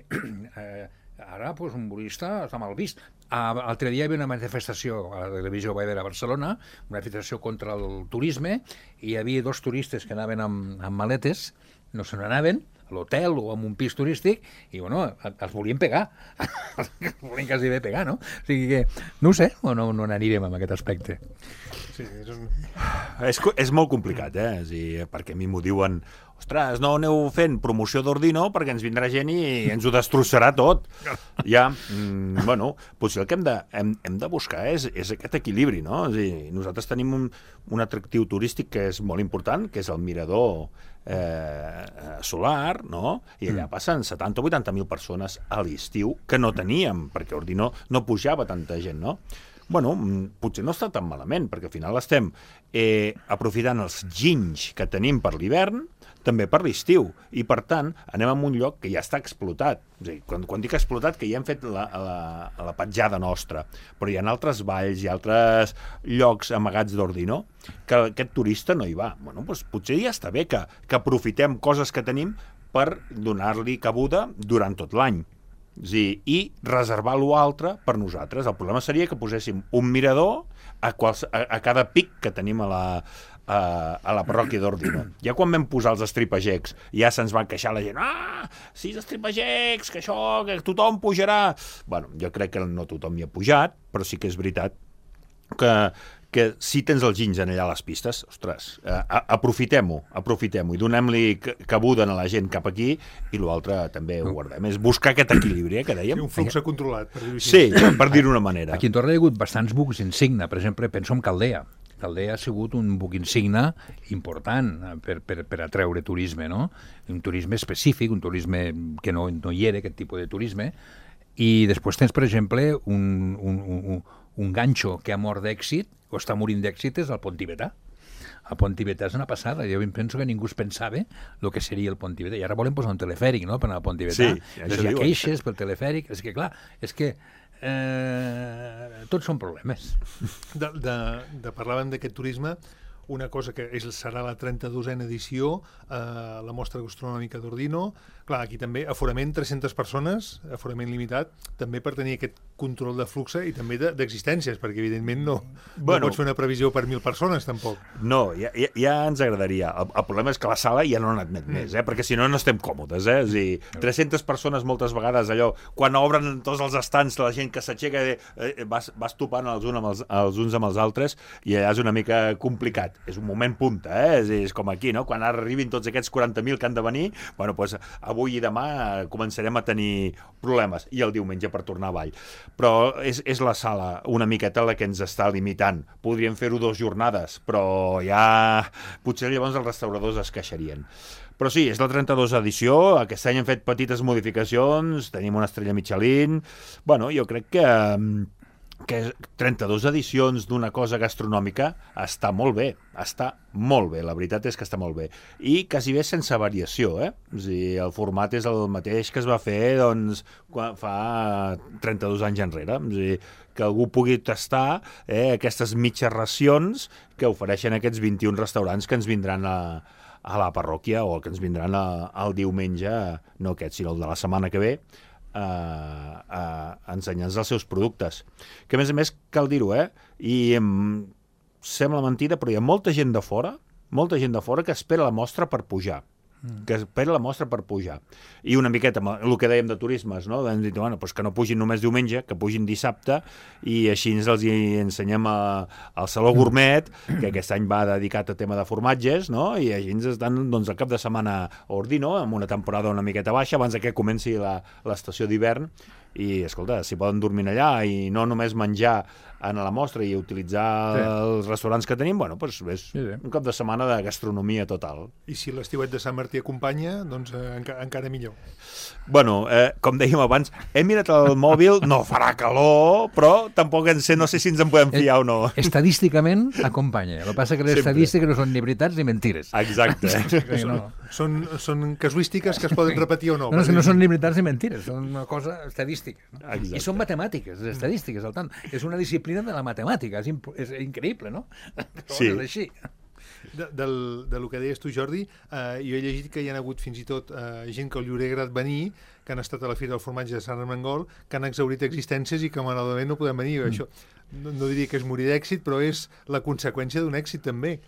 eh, ara pues, un turista està mal vist. L'altre dia hi havia una manifestació a la televisió Baidera a Barcelona, una manifestació contra el turisme, i hi havia dos turistes que anaven amb, amb maletes, no se n'anaven, a l'hotel o en un pis turístic, i, bueno, els volien pegar. Els volien quasi bé pegar, no? O sigui que, no ho sé, o no, no n'anirem amb aquest aspecte. Sí, és, un... és, és molt complicat, eh? És dir, perquè a mi m'ho diuen, ostres, no aneu fent promoció d'Ordino perquè ens vindrà gent i ens ho destrossarà tot. Ja, mm, bueno, potser el que hem de, hem, hem de buscar és, és aquest equilibri, no? És dir, nosaltres tenim un, un atractiu turístic que és molt important, que és el mirador eh, solar, no? I allà passen setanta o vuitanta mil persones a l'estiu que no teníem, perquè Ordino no pujava tanta gent, no? bueno, potser no està tan malament, perquè al final estem eh, aprofitant els ginys que tenim per l'hivern, també per l'estiu, i per tant anem a un lloc que ja està explotat. És a dir, quan, quan dic explotat, que ja hem fet la, la, la petjada nostra, però hi ha altres valls, hi ha altres llocs amagats d'Ordino, que aquest turista no hi va. Bueno, doncs potser ja està bé que, que aprofitem coses que tenim per donar-li cabuda durant tot l'any. Sí, i reservar l'altre per nosaltres. El problema seria que poséssim un mirador a, quals, a, a cada pic que tenim a la, a, a la parròquia d'Ordino. Ja quan vam posar els estripagecs, ja se'ns va queixar la gent, ah, sis estripagecs, que això, que tothom pujarà. Bueno, jo crec que no tothom hi ha pujat, però sí que és veritat que, que si tens els ginys en allà a les pistes, ostres, eh, aprofitem-ho, aprofitem-ho i donem-li cabuda a la gent cap aquí i l'altre també ho guardem. És buscar aquest equilibri, eh, que dèiem. Sí, un flux controlat, per dir-ho així. Sí, per dir-ho d'una manera. Aquí en Torre hi ha hagut bastants bucs insigne. Per exemple, penso en Caldea. Caldea ha sigut un buc insigne important per, per, per atreure turisme, no? Un turisme específic, un turisme que no, no hi era, aquest tipus de turisme. I després tens, per exemple, un, un, un, un ganxo que ha mort d'èxit, o està morint d'èxit, és el Pont Tibetà. El Pont Tibetà és una passada. Jo penso que ningú es pensava el que seria el Pont Tibetà. I ara volen posar un telefèric, no?, per anar al Pont Tibetà. Sí, això hi ha diuen. queixes pel telefèric. És que, clar, és que eh, tots són problemes. De, de, de parlàvem d'aquest turisme, una cosa que és, serà la trenta-dosena edició, eh, la mostra gastronòmica d'Ordino. Clar, aquí també aforament tres-centes persones, aforament limitat, també per tenir aquest control de flux i també d'existències, perquè evidentment no, Bueno. no pots fer una previsió per mil persones, tampoc. No, ja, ja, ja ens agradaria. El, el problema és que la sala ja no n'admet mm. més, eh? Perquè si no, no estem còmodes. Eh? És a dir, tres-centes persones moltes vegades, allò, quan obren tots els estants, la gent que s'aixeca, eh, vas, vas topant els, un amb els, els uns amb els altres, i allà és una mica complicat. És un moment punta, eh? És, és com aquí, no? Quan arribin tots aquests quaranta mil que han de venir, bueno, doncs avui i demà començarem a tenir problemes, i el diumenge per tornar a Vall. Però és, és la sala una miqueta la que ens està limitant. Podríem fer-ho dues jornades, però ja potser llavors els restauradors es queixarien. Però sí, és la trenta-dosena edició, aquest any hem fet petites modificacions, tenim una estrella Michelin. Bueno, jo crec que que trenta-dues edicions d'una cosa gastronòmica està molt bé, està molt bé, la veritat és que està molt bé. I quasi bé sense variació, eh? És a dir, el format és el mateix que es va fer, doncs, quan fa trenta-dos anys enrere. És a dir, que algú pugui tastar eh, aquestes mitges racions que ofereixen aquests vint-i-un restaurants que ens vindran a, a la parròquia o que ens vindran a, al diumenge, no aquest, sinó el de la setmana que ve, a, a ensenyar-nos els seus productes. Que a més a més cal dir-ho, eh? I em sembla mentida, però hi ha molta gent de fora, molta gent de fora que espera la mostra per pujar. que espera la mostra per pujar. I una miqueta, el que dèiem de turismes, no? Hem dit, bueno, doncs que no pugin només diumenge, que pugin dissabte, i així ens els ensenyem a, al Saló Gourmet, que aquest any va dedicat a tema de formatges, no? I així ens estan, doncs, el cap de setmana a Ordino, amb una temporada una miqueta baixa, abans que comenci l'estació d'hivern, i, escolta, si poden dormir allà i no només menjar a la mostra i utilitzar sí. els restaurants que tenim, bueno, doncs és sí, sí. un cap de setmana de gastronomia total. I si l'estiuet de Sant Martí acompanya, doncs eh, enca encara millor. Bueno, eh, com dèiem abans, he mirat el mòbil, no farà calor, però tampoc en sé, no sé si ens en podem fiar o no. Estadísticament acompanya. El que passa que les estadístiques no són ni veritats ni mentires. Exacte. Eh? Són, són, són casuístiques que es poden repetir o no. No, no, no són ni veritats ni mentires, són una cosa estadística. No? Exacte. I són matemàtiques, les estadístiques, al tant. És una disciplina de la matemàtica, és, és increïble, no? Sí. És així. De, del, de lo que deies tu, Jordi, eh, jo he llegit que hi ha hagut fins i tot eh, gent que li hauria agradat venir, que han estat a la Fira del Formatge de Sant Armengol, que han exhaurit existències i que malauradament no podem venir. Mm. Això no, no diria que és morir d'èxit, però és la conseqüència d'un èxit també.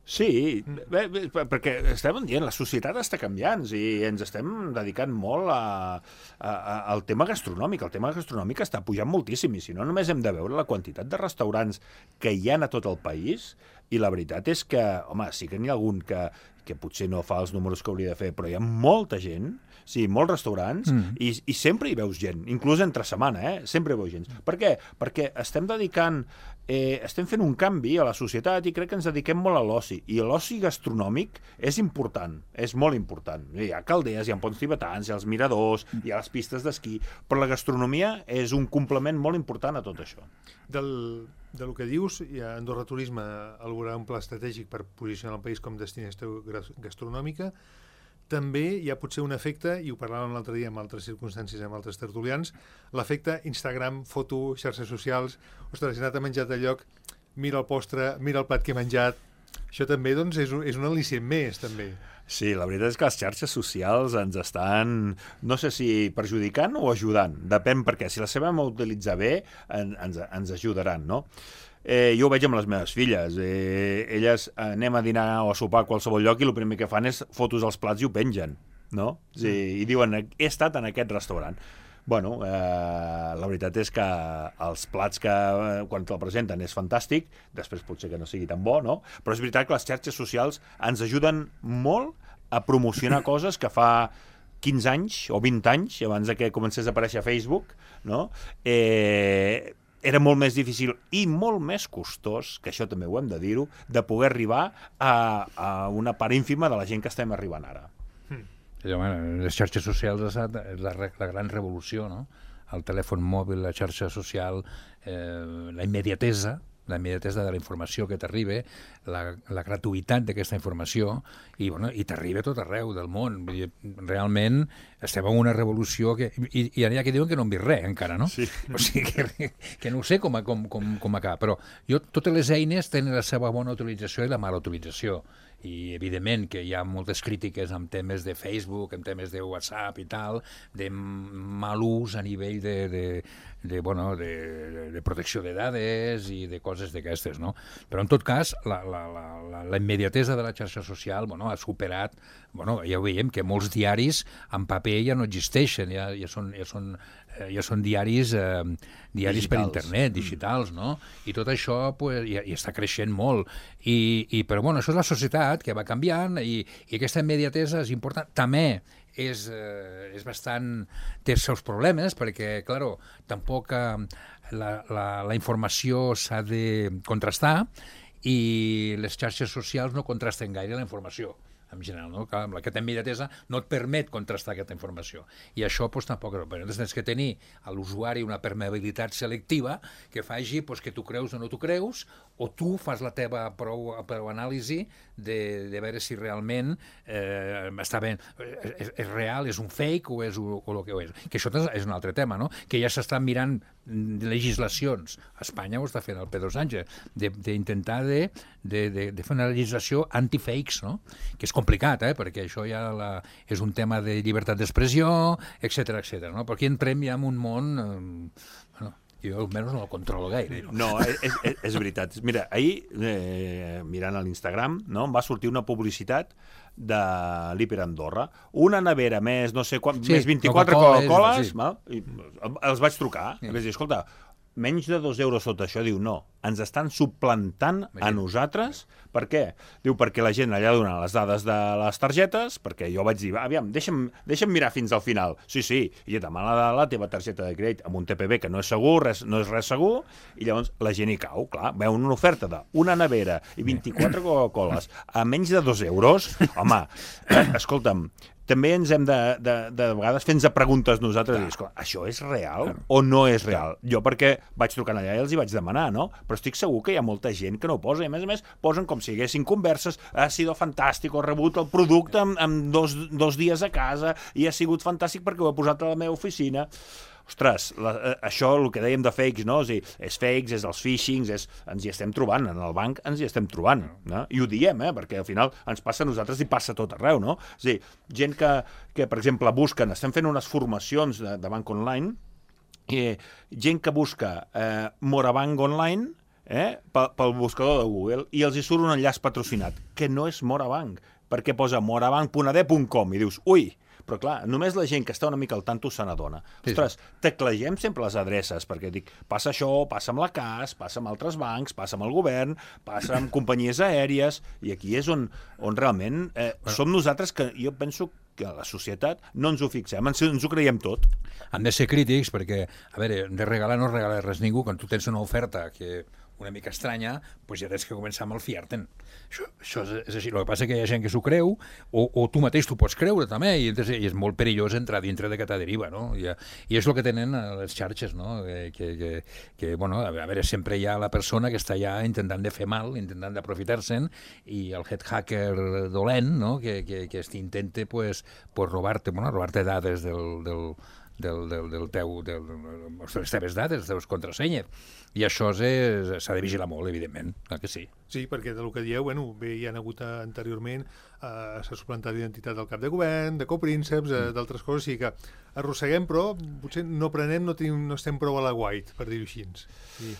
Sí, bé, bé, perquè estem dient, la societat està canviant i ens estem dedicant molt a, a, a, al tema gastronòmic. El tema gastronòmic està pujant moltíssim i si no només hem de veure la quantitat de restaurants que hi ha a tot el país I la veritat és que, home, sí que n'hi ha algun que, que potser no fa els números que hauria de fer, però hi ha molta gent, sí, molts restaurants, mm. i, i sempre hi veus gent, inclús entre setmana, eh? Sempre hi veus gent. Per què? Perquè estem dedicant, eh, estem fent un canvi a la societat i crec que ens dediquem molt a l'oci. I l'oci gastronòmic és important, és molt important. Hi ha calderes, hi ha ponts tibetans, hi ha els miradors, hi ha les pistes d'esquí, però la gastronomia és un complement molt important a tot això. Del, del que dius, ja Andorra Turisme elaborarà un pla estratègic per posicionar el país com destinació gastronòmica. També hi ha potser un efecte, i ho parlàvem l'altre dia amb altres circumstàncies, amb altres tertulians, l'efecte Instagram, foto, xarxes socials. Ostres, he anat a menjar de lloc, mira el postre, mira el plat que he menjat. Això també doncs, és, un, és un al·licient més, també. Sí, la veritat és que les xarxes socials ens estan, no sé si perjudicant o ajudant. Depèn, perquè si les sabem utilitzar bé, en, ens, ens ajudaran, no? Eh, jo ho veig amb les meves filles. Eh, elles eh, anem a dinar o a sopar a qualsevol lloc i el primer que fan és fotos als plats i ho pengen, no? Sí, i diuen, he estat en aquest restaurant. Bueno, eh, la veritat és que els plats que eh, quan te'l presenten és fantàstic, després potser que no sigui tan bo, no? Però és veritat que les xarxes socials ens ajuden molt a promocionar coses que fa quinze anys o vint anys, abans de que comencés a aparèixer a Facebook, no? Eh... era molt més difícil i molt més costós, que això també ho hem de dir-ho, de poder arribar a, a una part ínfima de la gent que estem arribant ara. Mm. Les xarxes socials és la, la gran revolució, no? El telèfon mòbil, la xarxa social, eh, la immediatesa, la immediatesa de la informació que t'arriba, la, la gratuïtat d'aquesta informació, i, bueno, i t'arriba a tot arreu del món. Vull dir, realment estem en una revolució que... I, i hi ha que diuen que no hem vist res encara, no? Sí. O sigui, que, que no ho sé com, com, com, com acaba, però jo, totes les eines tenen la seva bona utilització i la mala utilització. I evidentment que hi ha moltes crítiques en temes de Facebook, en temes de WhatsApp i tal, de mal ús a nivell de, de, de, bueno, de, de protecció de dades i de coses d'aquestes, no? Però en tot cas, la, la, la, la immediatesa de la xarxa social, bueno, ha superat, bueno, ja ho veiem, que molts diaris en paper ja no existeixen, ja, ja són... Ja són ja són diaris, eh, diaris per internet, digitals, no? I tot això pues, ja, ja està creixent molt. I, i, però bueno, això és la societat que va canviant i, i aquesta immediatesa és important. També és, eh, és bastant... té els seus problemes perquè, claro, tampoc eh, la, la, la informació s'ha de contrastar i les xarxes socials no contrasten gaire la informació. En general, no? Clar, amb aquesta immediatesa no et permet contrastar aquesta informació. I això doncs, tampoc... Però tens que tenir a l'usuari una permeabilitat selectiva que faci doncs, que tu creus o no tu creus, o tu fas la teva prou, prou anàlisi de, de veure si realment eh, està bé, és, és real, és un fake o és o, o el que ho és. Que això és un altre tema, no? Que ja s'estan mirant legislacions. A Espanya ho està fent el Pedro Sánchez, d'intentar de, de, de, de fer una legislació anti-fakes, no? Que és complicat, eh? Perquè això ja la, és un tema de llibertat d'expressió, etcètera, etcètera, no? Però aquí entrem ja en un món... Eh, bueno, jo almenys no el controlo gaire. No, no és, és, és veritat. Mira, ahir, eh, mirant a l'Instagram, no, em va sortir una publicitat de l'Hiper Andorra. Una nevera més, no sé quan, sí, més vint-i-quatre Coca-Coles, sí. Els vaig trucar, sí. I vaig dir, escolta, menys de dos euros sota això. Diu, no, ens estan suplantant a nosaltres. Per què? Diu, perquè la gent allà dona les dades de les targetes, perquè jo vaig dir, aviam, deixa'm, deixa'm mirar fins al final. Sí, sí, i et demana la, la teva targeta de crèdit amb un T P V que no és segur, res, no és res segur, i llavors la gent hi cau, clar, veu una oferta d'una nevera i vint-i-quatre Coca-Coles a menys de dos euros, home, eh, escolta'm, també ens hem de, de, de, de vegades fer-nos preguntes nosaltres, i dir, això és real o no és real? Jo perquè vaig trucant allà i els hi vaig demanar, no? Però estic segur que hi ha molta gent que no ho posa, i a més a més posen com si haguessin converses, ha sido fantàstic, he rebut el producte en, en dos, dos dies a casa i ha sigut fantàstic perquè ho he posat a la meva oficina. Ostres, la, això, el que dèiem de fakes, no? És, dir, és fakes, és els phishings, és, ens hi estem trobant, en el banc ens hi estem trobant, no? I ho diem, eh? Perquè al final ens passa a nosaltres i passa a tot arreu, no? És a dir, gent que, que per exemple, busquen, estem fent unes formacions de, de banc online, i gent que busca eh, Morabanc online, eh, pel, pel buscador de Google, i els hi surt un enllaç patrocinat, que no és Morabanc, perquè posa morabanc punt a d punt com, i dius, ui, Però clar, només la gent que està una mica al tanto se n'adona. Ostres, teclegem sempre les adreces, perquè dic, passa això, passa amb la C A S, passa amb altres bancs, passa amb el govern, passa amb companyies aèries, i aquí és on, on realment eh, som nosaltres que jo penso que a la societat no ens ho fixem, ens, ens ho creiem tot. Han de ser crítics perquè, a veure, de regalar no regala res ningú. Quan tu tens una oferta que una mica estranya, doncs ja tens que començar amb el fiar-te'n. Això, això és, és així. El que passa és que hi ha gent que s'ho creu, o, o tu mateix t'ho pots creure també, i, i és molt perillós entrar dintre d'aquesta deriva, no? I, i és el que tenen les xarxes, no? Que, que, que, bueno, a veure, sempre hi ha la persona que està allà intentant de fer mal, intentant d'aprofitar-se'n, i el head hacker dolent, no? Que, que, que intenta, pues, pues robar-te, bueno, robar-te dades del, del del, del, del teu, del, de les teves dades, de les teves contrasenyes. I això s'ha de vigilar molt, evidentment, clar que sí. Sí, perquè del que dieu, bueno, bé, hi ha hagut anteriorment, eh, s'ha suplantat l'identitat del cap de govern, de coprínceps, eh, d'altres coses, o sigui que arrosseguem, però potser no prenem, no, tenim, no estem prou a la white, per dir-ho així. Sí.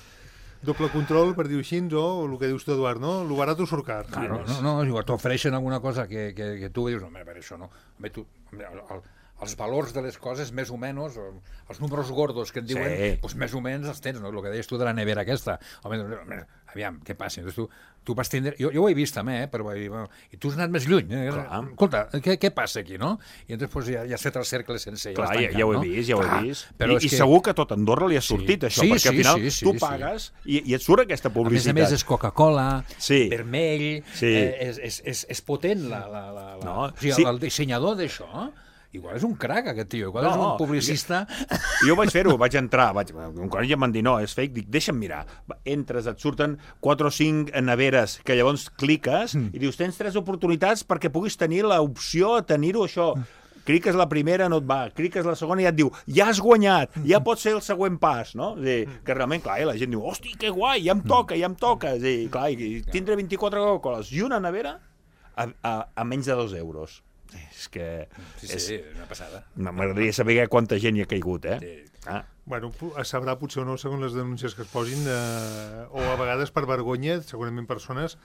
Doble control, per dir-ho així, o el que dius tu, Eduard, no? Lo barato surt car. Claro, no, no, igual t'ofereixen alguna cosa que, que, que tu dius, no, per això no. Home, tu, el, el, els valors de les coses, més o menys, els números gordos que et diuen, sí. Doncs més o menys els tens, no? El que deies tu de la nevera aquesta. Home, aviam, què passa? Tu, tu vas tindre... Jo, jo ho he vist també, eh? Però, i tu has anat més lluny. Eh? Escolta, què, què passa aquí, no? I llavors pues, ja, ja has fet el cercle sencer. Clar, ja, tancant, ja ho he no? vist, ja ho he vist. Però I, i que... segur que tot Andorra li ha sortit, sí. Això, sí, perquè sí, al final sí, sí, tu sí, pagues sí. I, i et surt aquesta publicitat. A més a més és Coca-Cola, sí. vermell, sí. Eh, és, és, és, és potent la... la, la, la... No, o sigui, sí. El dissenyador d'això... Igual és un crac, aquest tio, igual no, és un publicista... Jo, jo vaig fer-ho, vaig entrar, vaig, quan ja m'han dit, no, és fake, dic, deixa'm mirar. Entres, et surten quatre o cinc neveres, que llavors cliques mm. i dius, tens tres oportunitats perquè puguis tenir l'opció de tenir-ho això. Cliques la primera, no et va, cliques la segona i ja et diu, ja has guanyat, ja pot ser el següent pas, no? És dir, que realment, clar, la gent diu, hosti, que guai, ja em toca, ja em toca. És dir, clar, tindré vint-i-quatre Coca-Coles i una nevera a, a, a menys de dos euros. És que... Sí, sí, és una passada. M'agradaria saber quanta gent hi ha caigut, eh? Sí. Ah. Bueno, es sabrà potser o no, segons les denúncies que es posin, eh, o a vegades per vergonya, segurament persones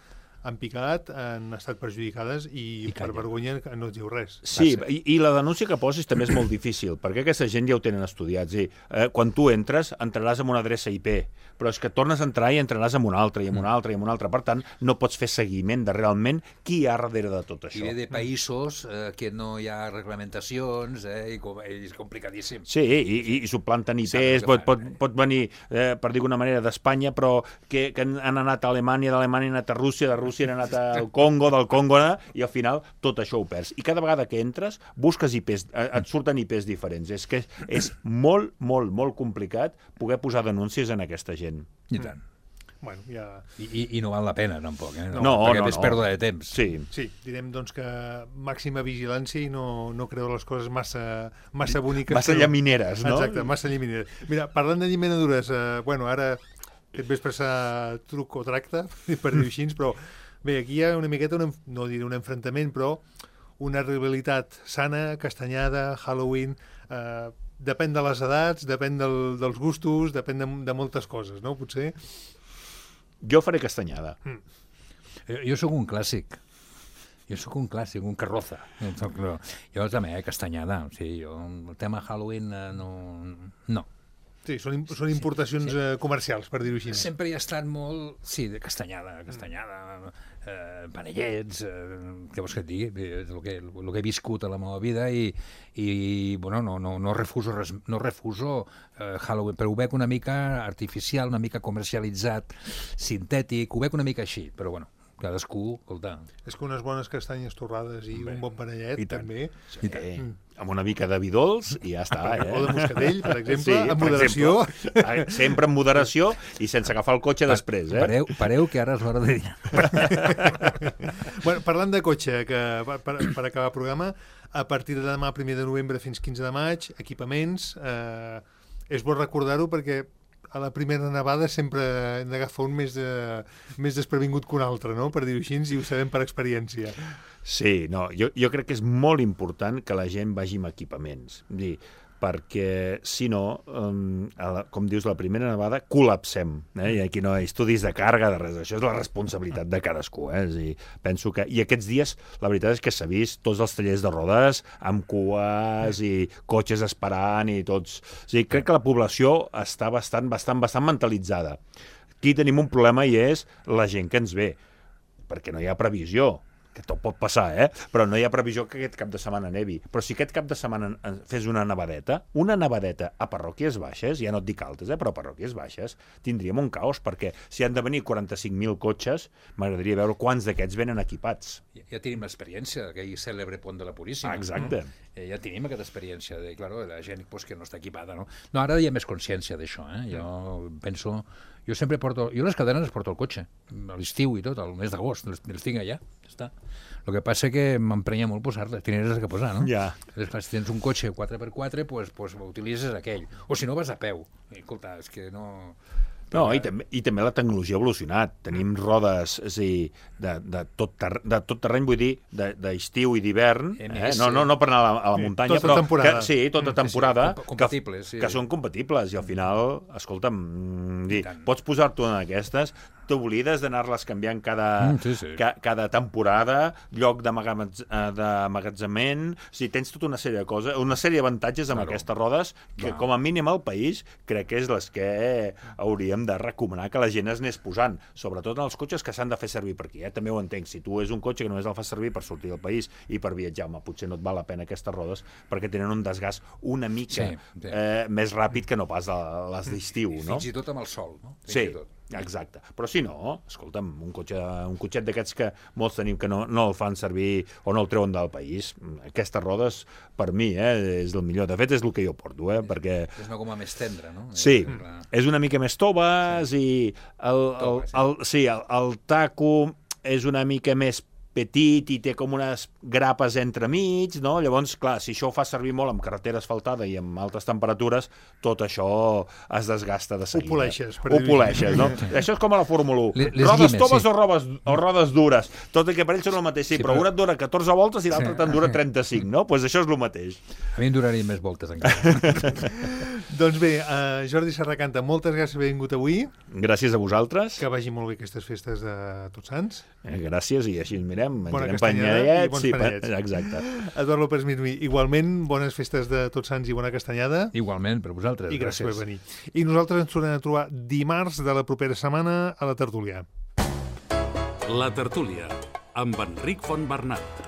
han picat, han estat perjudicades i, I per vergonya no et diu res. Sí, i, i la denúncia que posis també és molt difícil, perquè aquesta gent ja ho tenen estudiat. Sí, eh, quan tu entres, entraràs amb una adreça I P, però és que tornes a entrar i entraràs amb una altra, i amb una altra, i amb una altra. Per tant, no pots fer seguiment de realment qui hi ha darrere de tot això. I ve de països eh, que no hi ha reglamentacions, eh, i, com, i és complicadíssim. Sí, i, i, i suplanten I Ps, pot, pot, pot venir, eh, per dir d'una manera, d'Espanya, però que, que han anat a Alemanya, d'Alemanya han anat a Rússia, de Rússia han anat al Congo, del Congo, i al final tot això ho perds. I cada vegada que entres, busques I Ps, et surten I Ps diferents. És que és molt, molt, molt complicat poder posar denúncies en aquesta gent. I tant. Bueno, ja... I, i, I no val la pena, tampoc, eh? No, no, perquè no, és no. pèrdua de temps. Sí. Sí, direm doncs que màxima vigilància i no, no creure les coses massa, massa boniques. Massa però... llamineres, no? Exacte, massa llamineres. Mira, parlant de llaminadures, eh, bueno, ara aquest vespre serà truc o tracte, per dir-ho així, però bé, aquí hi ha una miqueta, un, no diré un enfrontament, però una rivalitat sana, castanyada, Halloween... Eh, depèn de les edats, depèn del, dels gustos, depèn de, de moltes coses, no? Potser... Jo faré castanyada. Mm. Jo, jo sóc un clàssic. Jo sóc un clàssic, un carroza. Jo, soc, no. jo també, eh, castanyada. O sigui, jo, el tema Halloween eh, no... no. Sí, són, són importacions sí, sí. Eh, comercials, per dir-ho així. Sempre hi ha estat molt... Sí, de castanyada, castanyada, eh, panellets, eh, què vols que et digui? És el que, el que he viscut a la meva vida i, i bueno, no, no, no refuso, res, no refuso eh, Halloween, però ho veig una mica artificial, una mica comercialitzat, sintètic, ho veig una mica així, però bueno, cadascú, escolta... És que unes bones castanyes torrades i Bé, un bon panellet, també... Sí, mm. Amb una mica de vi dolç i ja està, eh? O de moscatell, per exemple, sí, amb moderació. Exemple. Sempre amb moderació i sense agafar el cotxe després, eh? Pareu, pareu que ara és l'hora de dinar. Bueno, parlant de cotxe, que per, per acabar el programa, a partir de demà, primer de novembre fins quinze de maig, equipaments, eh, és bo recordar-ho perquè a la primera nevada sempre hem d'agafar un més, de, més desprevingut que un altre, no? Per dir-ho així, i ho sabem per experiència. Sí, no, jo, jo crec que és molt important que la gent vagi amb equipaments. Dir, perquè, si no, um, la, com dius, la primera nevada, col·lapsem. Eh? I aquí no hi ha estudis de càrrega, de res. Això és la responsabilitat de cadascú. Eh? És a dir, penso que... I aquests dies, la veritat és que s'ha vist tots els tallers de rodes amb cues i cotxes esperant i tots... O sigui, crec que la població està bastant, bastant, bastant mentalitzada. Aquí tenim un problema i és la gent que ens ve, perquè no hi ha previsió, que tot pot passar, eh? Però no hi ha previsió que aquest cap de setmana nevi. Però si aquest cap de setmana fes una nevadeta, una nevadeta a parròquies baixes, ja no et dic altes, eh? Però a parròquies baixes, tindríem un caos, perquè si han de venir quaranta-cinc mil cotxes, m'agradaria veure quants d'aquests venen equipats. Ja, ja tenim l'experiència d'aquell cèlebre pont de la Puríssima. Ah, exacte. No? Eh, ja tenim aquesta experiència de, claro, la gent pues, que no està equipada, no? No, ara hi ha més consciència d'això, eh? Jo penso... Jo sempre porto... Jo les cadenes les porto al cotxe, a l'estiu i tot, al mes d'agost, les, les tinc allà, ja està. El que passa que m'emprenya molt posar-les, tenies que posar, no? Ja. Si tens un cotxe quatre per quatre, pues, pues utilitzes aquell. O si no, vas a peu. I, escolta, és que no... No, i també, i també la tecnologia ha evolucionat. Tenim rodes, és a dir, de, de, tot, ter, de tot terreny, vull dir, d'estiu i d'hivern, eh? no, no, no per anar a la, a la muntanya, tota però temporada. que, sí, tota temporada, sí, sí, compatibles, que, sí. que són compatibles, i al final, escolta'm, dir, pots posar-te una d'aquestes, t'oblides d'anar-les canviant cada, mm, sí, sí. ca, cada temporada, lloc d'emmagatzement, o sigui, tens tota una sèrie de coses, una sèrie d'avantatges amb claro. Aquestes rodes, que Clar. com a mínim al país, crec que és les que hauríem de recomanar que la gent es anés posant, sobretot en els cotxes que s'han de fer servir per aquí, eh? També ho entenc, si tu és un cotxe que només el fas servir per sortir del país i per viatjar, home, potser no et val la pena aquestes rodes perquè tenen un desgast una mica sí, sí. Eh, més ràpid que no pas les d'estiu, no? Fins i tot amb el sol, no? Fins Sí, i tot. exacte. Però si no, escolta'm, un, cotxe, un cotxet d'aquests que molts tenim que no, no el fan servir o no el treuen del país, aquestes rodes, per mi, eh, és el millor. De fet, és el que jo porto, eh, perquè... És una goma més tendra, no? Sí, Eh, és una mica més toves sí. i el, el, el, sí, el, el taco és una mica més petit i té com unes grapes entremig, no? Llavors, clar, si això ho fa servir molt amb carretera asfaltada i amb altes temperatures, tot això es desgasta de seguida. Ho poleixes, per Ho dir-ho. poleixes, no? Això és com a la Fórmula u. Les Rodes guines, toves sí. o, robes, o rodes dures. Tot i que per ells són el mateix, sí, Sí, però, però- una et dura catorze voltes i l'altra Sí. te'n dura trenta-cinc, no? Doncs pues això és el mateix. A mi em durarien més voltes encara. Doncs bé, uh, Jordi Serracanta, moltes gràcies per haver vingut avui. Gràcies a vosaltres. Que vagi molt bé aquestes festes de Tots Sants. Eh, gràcies, i així ens mirem. Bona Menjarem castanyada i panellets. bons Sí, panellets. pa- exacte. Eduard López Mirmi, igualment, bones festes de Tots Sants i bona castanyada. Igualment, per vosaltres. I gràcies per venir. I nosaltres ens tornem a trobar dimarts de la propera setmana a la tertúlia. La tertúlia, amb Enric Fontbernat.